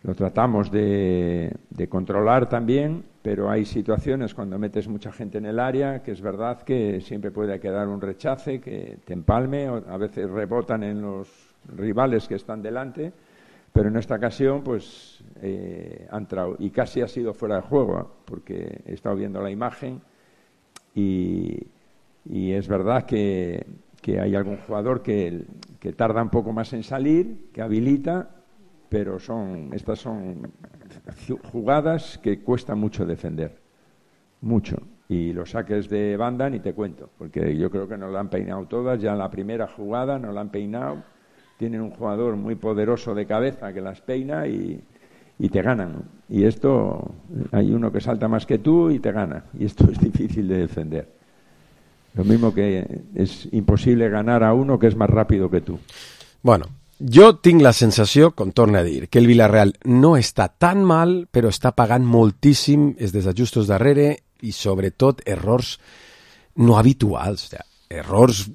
N: lo tratamos de controlar también, pero hay situaciones cuando metes mucha gente en el área que es verdad que siempre puede quedar un rechace, que te empalme, o a veces rebotan en los rivales que están delante. Pero en esta ocasión pues ha entrado y casi ha sido fuera de juego, porque he estado viendo la imagen y es verdad que hay algún jugador que tarda un poco más en salir, que habilita, pero estas son jugadas que cuesta mucho defender, mucho. Y los saques de banda ni te cuento, porque yo creo que nos la han peinado todas, ya en la primera jugada nos la han peinado. Tienen un jugador muy poderoso de cabeza que las peina y te ganan. Y esto, hay uno que salta más que tú y te gana. Y esto es difícil de defender. Lo mismo que es imposible ganar a uno que es más rápido que tú.
D: Bueno, jo tinc la sensació, com torno a dir, que el Villarreal no està tan mal, però està pagant moltíssim els desajustos darrere i sobretot errors no habituals. O sea, errors...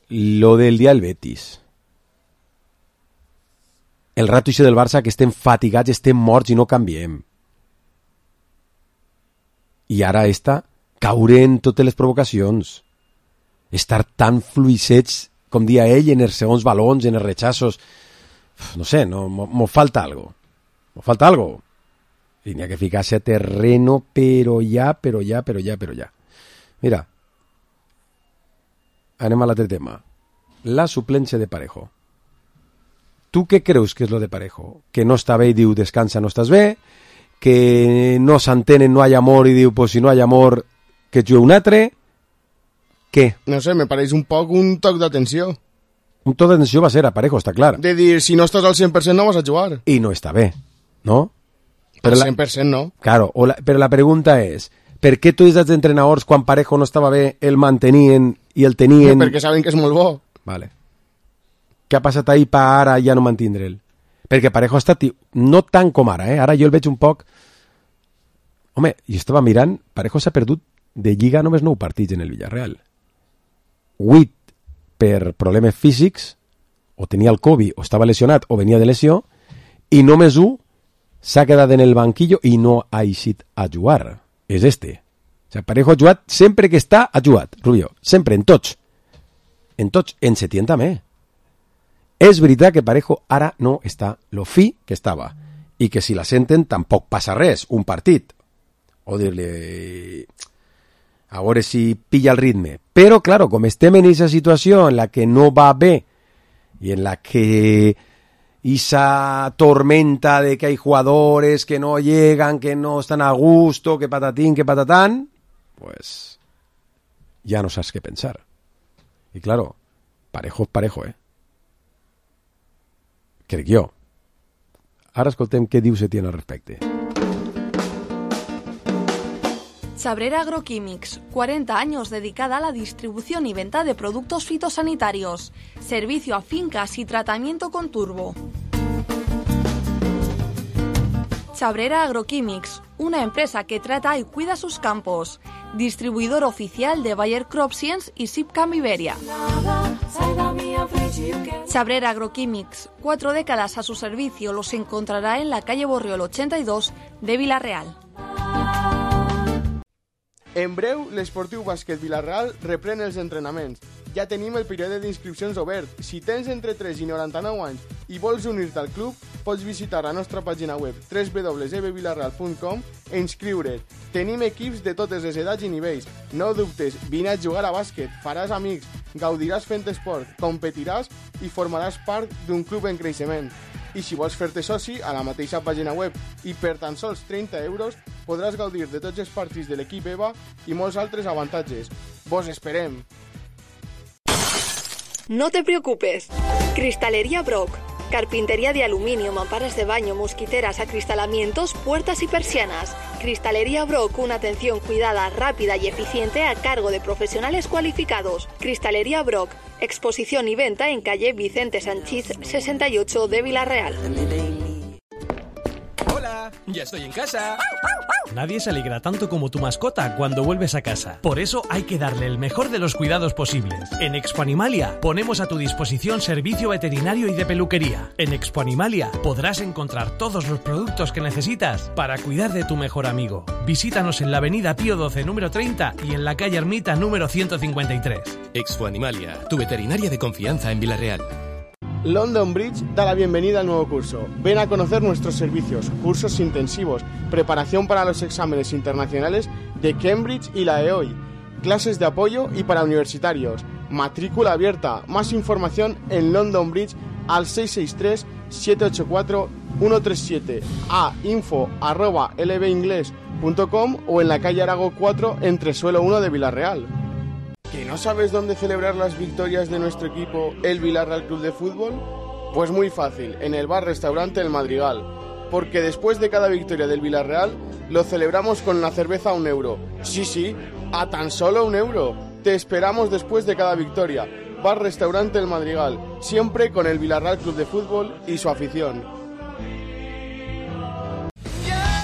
D: Lo del dia del Betis, el rato ese del Barça, que estem fatigats, estem morts i no canviem, i ara caure en totes les provocacions, estar tan fluixets com dia ell en els segons balons, en els rechazos, no sé, m'ho falta algo, i n'hi ha que ficar-se a terreno, però ja. Mira, anem a l'altre tema. La suplencia de Parejo. Tu què creus que és lo de Parejo? Que no està bé i diu descansa, no estàs bé, que no s'entenen, no hay amor i diu pues si no hay amor que jugue un altre. Què?
E: No sé, me pareix un poc un toc d'atenció.
D: Un toc d'atenció va ser a Parejo, està clar.
E: De dir, si no estàs al 100% no vas a jugar.
D: I no està bé, no?
E: Al 100% no.
D: Claro, però la pregunta és, per què tots els entrenadors, quan Parejo no estava bé, el mantenien i el tenien...
E: Perquè saben que és molt bo.
D: Vale. Què ha passat ahir per ara ja no mantindre'l? Perquè Parejo ha estat... No tant com ara, Ara jo el veig un poc... Home, jo estava mirant, Parejo s'ha perdut de Lliga només 9 partits en el Villarreal. 8 per problemes físics, o tenia el Covid, o estava lesionat, o venia de lesió, i només 1 s'ha quedat en el banquillo i no ha eixit a jugar. És este. O sigui, Parejo ha jugat sempre que està, ha jugat, Rubio. Sempre, en tots. En tots, en Setién també. És veritat que Parejo ara no està lo fi que estava. I que si la senten tampoc passa res, un partit. O dir-li... A veure si pilla el ritme. Però, claro, com estem en aquesta situació en la que no va bé i en la que esa tormenta de que hay jugadores que no llegan, que no están a gusto, que patatín, que patatán, pues ya no sabes qué pensar. Y claro, Parejo es Parejo, crec jo. Ara escoltem què diu Setién al respecte.
I: Chabrera Agroquímics, 40 años dedicada a la distribución y venta de productos fitosanitarios, servicio a fincas y tratamiento con turbo. Chabrera Agroquímics, una empresa que trata y cuida sus campos, distribuidor oficial de Bayer Crop Science y Sipcam Iberia. Chabrera Agroquímics, 4 décadas a su servicio, los encontrará en la calle Borriol 82 de Vila-real.
E: En breu, l'Esportiu Bàsquet Vila-real reprèn els entrenaments. ja tenim el període d'inscripcions obert. Si tens entre 3 i 99 anys i vols unir-te al club, pots visitar la nostra pàgina web www.ebvilarreal.com e inscriure't. Tenim equips de totes les edats i nivells. No dubtes, vine a jugar a bàsquet, faràs amics, gaudiràs fent esport, competiràs i formaràs part d'un club en creixement. I si vols fer-te soci, a la mateixa pàgina web i per tan sols 30 euros podràs gaudir de tots els partits de l'equip EVA i molts altres avantatges. Vos esperem!
I: No te preocupes. Cristalería Brock. Carpintería de aluminio, mamparas de baño, mosquiteras, acristalamientos, puertas y persianas. Cristalería Brock, una atención cuidada, rápida y eficiente a cargo de profesionales cualificados. Cristalería Brock. Exposición y venta en calle Vicente Sanchís 68 de Villarreal.
O: Hola, ya estoy en casa. Nadie se alegra tanto como tu mascota cuando vuelves a casa. Por eso hay que darle el mejor de los cuidados posibles. En Expo Animalia ponemos a tu disposición servicio veterinario y de peluquería. En Expo Animalia podrás encontrar todos los productos que necesitas para cuidar de tu mejor amigo. Visítanos en la avenida Pío XII número 30 y en la calle Ermita número 153.
A: Expo Animalia, tu veterinaria de confianza en Villarreal.
E: London Bridge da la bienvenida al nuevo curso. Ven a conocer nuestros servicios, cursos intensivos, preparación para los exámenes internacionales de Cambridge y la EOI, clases de apoyo y para universitarios, matrícula abierta. Más información en London Bridge al 663-784-137, a info@lbingles.com o en la calle Arago 4 entre suelo 1 de Villarreal. ¿Que no sabes dónde celebrar las victorias de nuestro equipo, el Villarreal Club de Fútbol? Pues muy fácil, en el bar-restaurante El Madrigal. Porque después de cada victoria del Villarreal, lo celebramos con una cerveza a €1. Sí, a tan solo €1. Te esperamos después de cada victoria. Bar-restaurante El Madrigal, siempre con el Villarreal Club de Fútbol y su afición.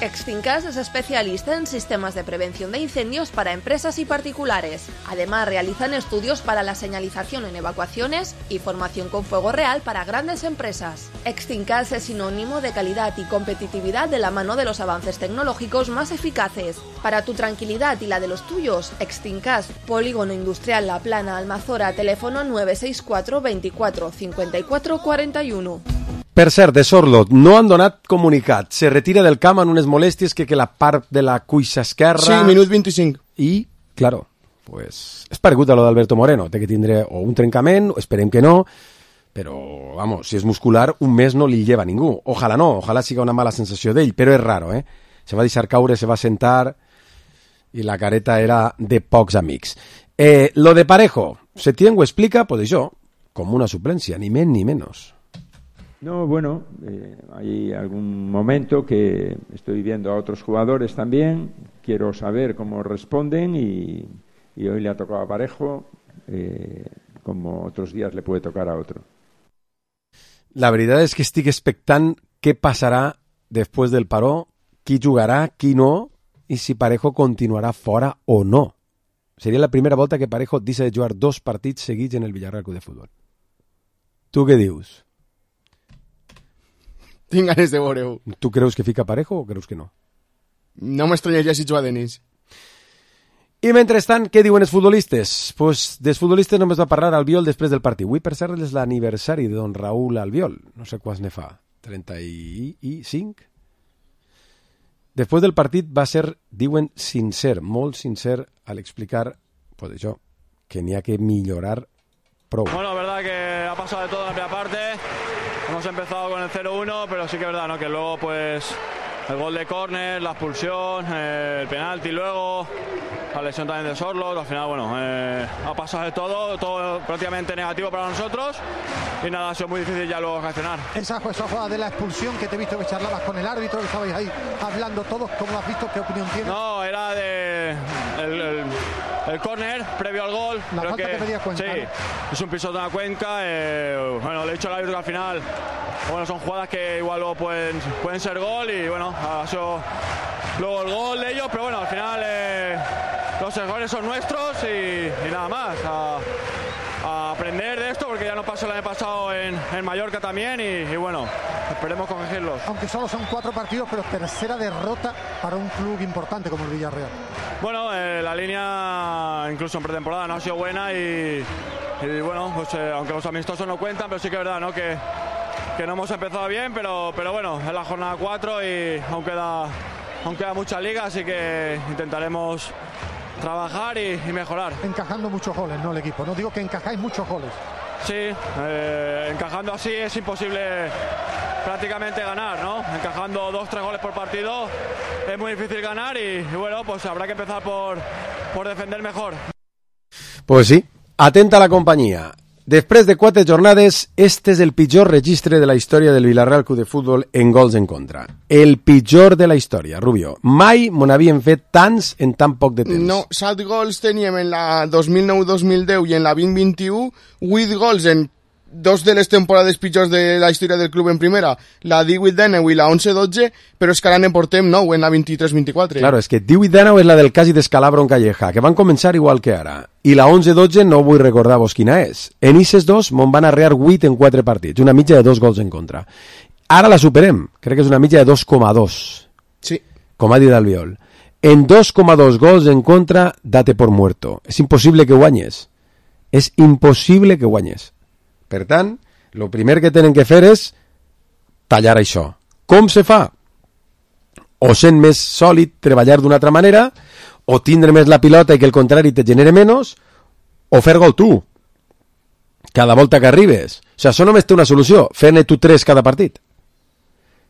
I: Extincas es especialista en sistemas de prevención de incendios para empresas y particulares. Además, realizan estudios para la señalización en evacuaciones y formación con fuego real para grandes empresas. Extincas es sinónimo de calidad y competitividad de la mano de los avances tecnológicos más eficaces. Para tu tranquilidad y la de los tuyos, Extincas, Polígono Industrial La Plana, Almazora, teléfono 964 24 54 41.
D: Per cert, de Sorlot, no han donat comunicat. Se retira del camp en unes molèsties que la part de la cuixa esquerra...
E: Sí, minut 25.
D: I, claro, pues, és paregut a lo d'Alberto Moreno. Té que tindre o un trencament, esperem que no, però, vamos, si és muscular, un mes no li lleva ningú. Ojalà no, ojalà siga una mala sensació d'ell, però és raro, eh? Se va deixar caure, se va sentar i la careta era de pocs amics. Lo de Parejo, Setién ho explica, pues això, com una suplència, ni més ni menos.
N: No, bueno, hay algún momento que estoy viendo a otros jugadores también, quiero saber cómo responden y hoy le ha tocado a Parejo, como otros días le puede tocar a otro.
D: La veritat és que estic expectant què passarà després del paró, qui jugarà, qui no, i si Parejo continuarà fora o no. Seria la primera volta que Parejo deixa de jugar 2 partits seguits en el Villarreal Club de Futbol. Tu què dius?
E: Tinc ganes de veure-ho.
D: Tu creus que fica Parejo o creus que no?
E: No m'estranyaria si juga Denis.
D: I mentrestant, què diuen els futbolistes? Pues dels futbolistes només va parlar Albiol després del partit. Avui, per cert, és l'aniversari de don Raúl Albiol. No sé quants ne fa. 35? Després del partit va ser, diuen, sincer, molt sincer al explicar, pues això, que n'hi ha que millorar prou.
P: Bueno, la verdad que ha pasado de todo en la primera parte. Hemos empezado con el 0-1, pero sí que es verdad, ¿no? Que luego, pues, el gol de córner, la expulsión, el penalti luego, la lesión también de Sorlot. Al final, bueno, ha pasado de todo prácticamente negativo para nosotros. Y nada, ha sido muy difícil ya luego reaccionar.
Q: Esa jugada de la expulsión que te he visto que charlabas con el árbitro, que estabais ahí hablando todos, ¿cómo lo has visto? ¿Qué opinión tienes?
P: No, era de el córner previo al gol.
Q: La falta que pedía Cuenca.
P: Sí, ¿no? Es un piso de una Cuenca. Bueno, le he dicho al árbitro que al final, bueno, son jugadas que igual luego pueden ser gol y bueno, ha sido luego el gol de ellos, pero bueno, al final los errores son nuestros y nada más. A aprender de esto porque ya nos pasó el año pasado en Mallorca también y bueno, esperemos corregirlos.
Q: Aunque solo son 4 partidos, pero tercera derrota para un club importante como el Villarreal.
P: Bueno, la línea incluso en pretemporada no ha sido buena y Y bueno, pues aunque los amistosos no cuentan, pero sí que es verdad, ¿no? Que no hemos empezado bien, pero bueno, es la jornada 4 y aún queda mucha liga, así que intentaremos trabajar y mejorar.
Q: Encajando muchos goles, ¿no? El equipo, no digo que encajáis muchos goles.
P: Sí, encajando así es imposible prácticamente ganar, ¿no? Encajando 2-3 goles por partido es muy difícil ganar y bueno, pues habrá que empezar por defender mejor.
D: Pues sí, atenta a la companyia. Després de 4 jornades, este és el pitjor registre de la història del Villarreal Club de Futbol en gols en contra. El pitjor de la història, Rubio. Mai me n'havien fet tants en tan poc de temps.
E: No, 7 gols teníem en la 2009-2010 i en la 2021, 8 gols en 2 de les temporades pitjors de la història del club en primera, la 18-19 i la 11-12, però és que ara ne portem 9 en la 23-24.
D: Claro, és que 18-19 és la del Casi d'Escalabro en Calleja, que van començar igual que ara. I la 11-12 no vull recordar-vos quina és. En Ises 2 me'n van arrear 8 en 4 partits, una mitja de 2 gols en contra. Ara la superem, crec que és una mitja de 2,2.
E: Sí.
D: Com ha dit Albiol. En 2,2 gols en contra, date por muerto. És impossible que guanyes. És impossible que guanyes. Per tant, el primer que tenen que fer és tallar això. Com se fa? O sent més sòlid, treballar d'una altra manera, o tindre més la pilota i que el contrari te genere menys, o fer gol tu, cada volta que arribes. O sigui, això només té una solució, fer-ne tu 3 cada partit.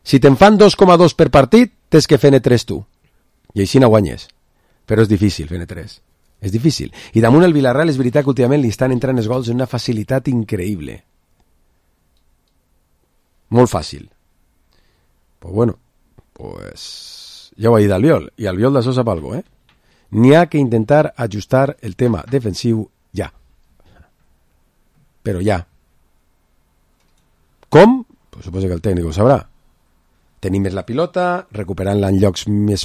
D: Si te'n fan 2,2 per partit, tens que fer-ne 3 tu. I així no guanyes. Però és difícil fer-ne 3. És difícil. I damunt el Villarreal és veritat que últimament li estan entrant els gols en una facilitat increïble. Molt fàcil. Pues bueno, pues ja ho ha dit Albiol, i Albiol d'això sap alguna cosa, N'hi ha que intentar ajustar el tema defensiu ja. Però ja. Com? Pues suposo que el tècnic ho sabrà. Tenir més la pilota, recuperant-la en llocs més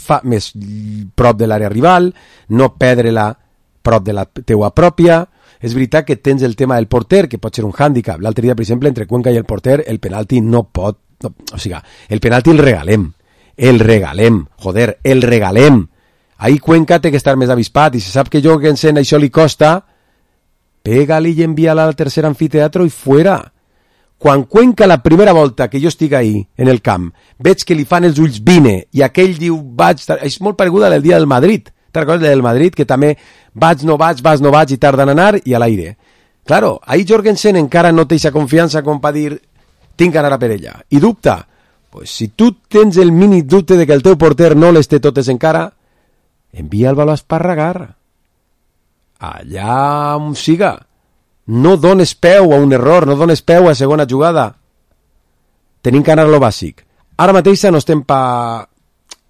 D: prop de l'àrea rival, no perdre-la prop de la teua pròpia. És veritat que tens el tema del porter, que pot ser un hàndicap. L'altre dia, per exemple, entre Cuenca i el porter, el penalti no pot... No, o sigui, el penalti el regalem. El regalem. Joder, el regalem. Ahí Cuenca té que estar més avispat, i si sap que Jorgensen això li costa, pega-li i envia-la al tercer anfiteatro i fuera. Quan Cuenca la primera volta que jo estic ahí, en el camp, veig que li fan els ulls vine, i aquell diu, vaig... És molt pareguda del dia del Madrid. Te'n recordes del Madrid, que també vaig, no vaig, vas, no vaig, i tarden a anar, i a l'aire. Claro, ahí Jorgensen encara no té aquesta confiança com per dir, tinc que anar a per ella. I dubta. Pues si tu tens el mini dubte de que el teu porter no les té totes encara, envia el baló a esparragar. Allà on siga. No dones peu a un error, no dones peu a segona jugada. Tenim que anar a lo bàsic. Ara mateix no estem pa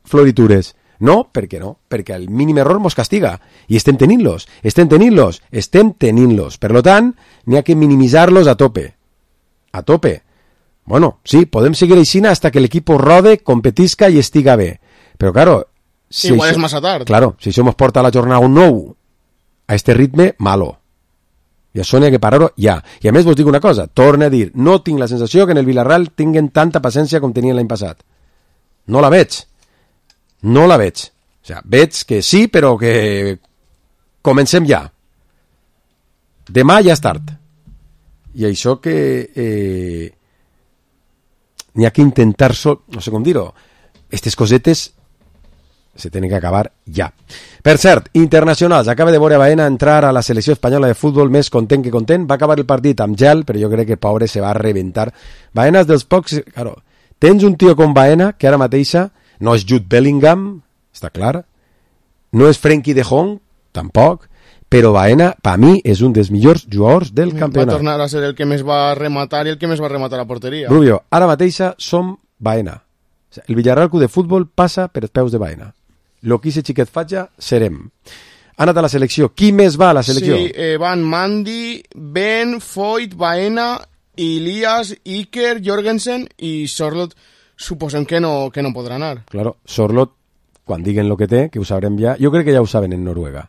D: floritures. No, per què no? Perquè el mínim error mos castiga. I estem tenint-los. Per tant, n'hi ha que minimitzar-los a tope. A tope. Bueno, sí, podem seguir així hasta que l'equip rode, competisca i estiga bé. Però, claro...
E: Si igual és massa tard.
D: Claro, si això mos porta a la jornada un nou a este ritme, malo. I això n'hi ha que parar-ho ja. I a més vos dic una cosa, torne a dir, no tinc la sensació que en el Villarreal tinguen tanta paciència com tenien l'any passat. No la veig. No la veig. O sigui, veig que sí, però que comencem ja. Demà ja és tard. I això que n'hi ha que intentar, no sé com dir-ho, aquestes cosetes se tenen que acabar ja. Per cert, internacionals, acaba de veure Baena entrar a la selecció espanyola de futbol més content que content, va acabar el partit amb gel, però jo crec que pobre se va reventar. Baena és dels pocs, claro, tens un tio com Baena, que ara mateixa no és Jude Bellingham, està clar, no és Frenkie de Jong, tampoc, però Baena, per mi, és un dels millors jugadors del campionat.
E: Va tornar a ser el que més va rematar i el que més va rematar a porteria.
D: Rubio, ara mateixa som Baena. El Villarreal Club de Futbol passa per els peus de Baena. Lo que ese xiquet fatja, serem. Ha anat a la selecció. Qui més va a la selecció?
E: Sí, van Mandy, Ben, Foyt, Baena, Ilias, Iker, Jorgensen i Sorloth. Suposem que no podrà anar.
D: Claro, Sorloth, quan diguen lo que té, que ho sabrem ja, jo crec que ja ho saben en Noruega.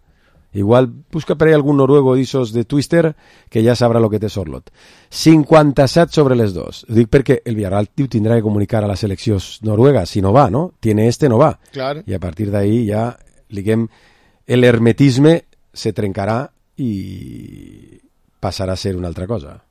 D: Igual busca per ahí algun noruego d'issos de Twister que ja sabrà lo que té Sorloth. 57 sobre les 2. Ho dic perquè el Villarreal tindrà que comunicar a la selecció noruega, si no va, no? Tiene no va.
E: Claro.
D: I a partir d'ahí ja, diguem, el hermetisme se trencarà i pasará a ser una otra cosa.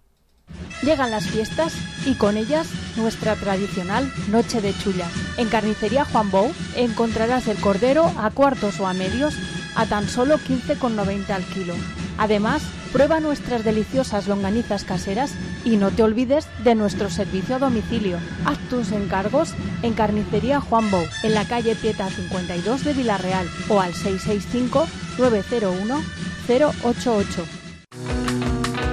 R: Llegan las fiestas y con ellas nuestra tradicional noche de chulla. En Carnicería Juan Bou encontrarás el cordero a cuartos o a medios a tan solo 15,90 al kilo. Además, prueba nuestras deliciosas longanizas caseras y no te olvides de nuestro servicio a domicilio. Haz tus encargos en Carnicería Juan Bou, en la calle Pieta 52 de Vilarreal o al 665-901-088.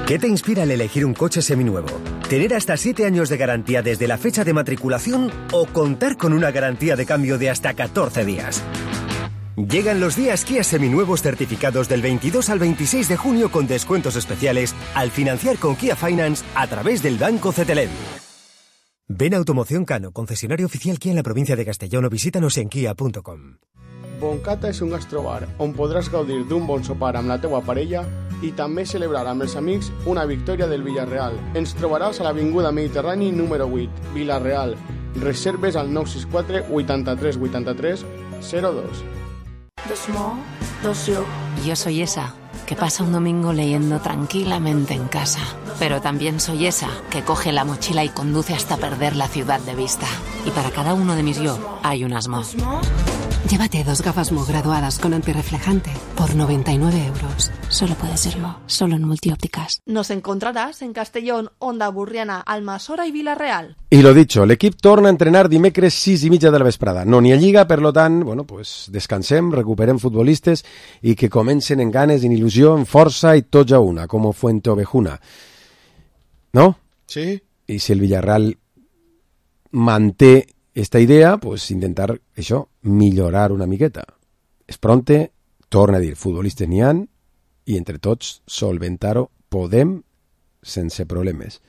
S: ¿Qué te inspira al elegir un coche seminuevo? ¿Tener hasta 7 años de garantía desde la fecha de matriculación o contar con una garantía de cambio de hasta 14 días? Llegan los días Kia seminuevos certificados del 22 al 26 de junio con descuentos especiales al financiar con Kia Finance a través del Banco Cetelem. Ven a Automoción Cano, concesionario oficial Kia en la provincia de Castellón, o visítanos en kia.com.
E: Boncata és un gastrobar on podràs gaudir d'un bon sopar amb la teua parella i també celebrar amb els amics una victòria del Villarreal. Ens trobaràs a l'Avinguda Mediterrani número 8, Vilarreal. Reserves al 964 83 83 02.
T: Yo soy esa que pasa un domingo leyendo tranquilamente en casa, pero también soy esa que coge la mochila y conduce hasta perder la ciudad de vista. Y para cada uno de mis yo hay un Asmo. Llévate 2 gafas Mo graduadas con antirreflejante por 99 euros. Solo puede ser Mo, solo en Multiópticas.
I: Nos encontrarás en Castellón, Onda Burriana, Almassora i Vilareal.
D: I lo dicho, l'equip torna a entrenar dimecres 6:30 de la vesprada. No n'hi ha lliga, per lo tant, bueno, pues descansem, recuperem futbolistes i que comencen en ganes, en il·lusió, en força i tots a una, com Fuenteovejuna. ¿No?
E: Sí.
D: I si el Villarreal manté esta idea, pues intentar, això, millorar una miqueta. És pronte, torna a dir, futbolistes n'hi han, i entre tots solventar-ho podem sense problemes.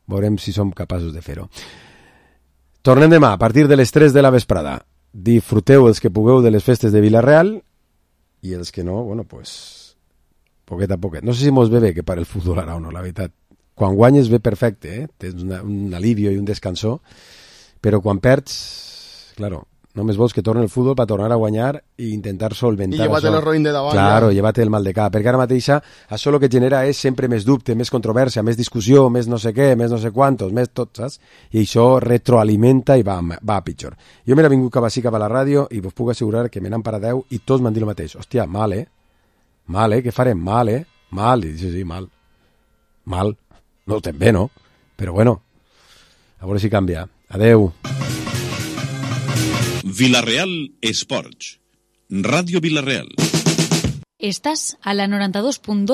D: Veurem si som capaços de fer-ho. Tornem demà, a partir de les 3 de la vesprada. Disfruteu els que pugueu de les festes de Vilarreal i els que no, bueno, pues poquet a poquet. No sé si mos ve bé que pare el futbol ara o no, la veritat. Quan guanyes ve perfecte, tens un alivio i un descansó, però quan perds, claro, només vols que torni el futbol per tornar a guanyar i intentar solventar
E: això. I llevate el roïn de davant.
D: Claro, llevate el mal de cap, perquè ara mateixa això el que genera és sempre més dubte, més controvèrsia, més discussió, més no sé què, més no sé quantos, més tot, saps? I això retroalimenta i va a pitjor. Jo m'he vingut cap a la ràdio i vos puc assegurar que me n'han paradeu i tots m'han dit el mateix. Hòstia, mal, què farem? Mal, Mal. I dic, sí, mal. Mal. No ho estem bé, no? Però bueno, a veure si canvia. Adeu.
C: Vilarreal Esports. Radio Vilarreal.
F: Estàs a la 92.2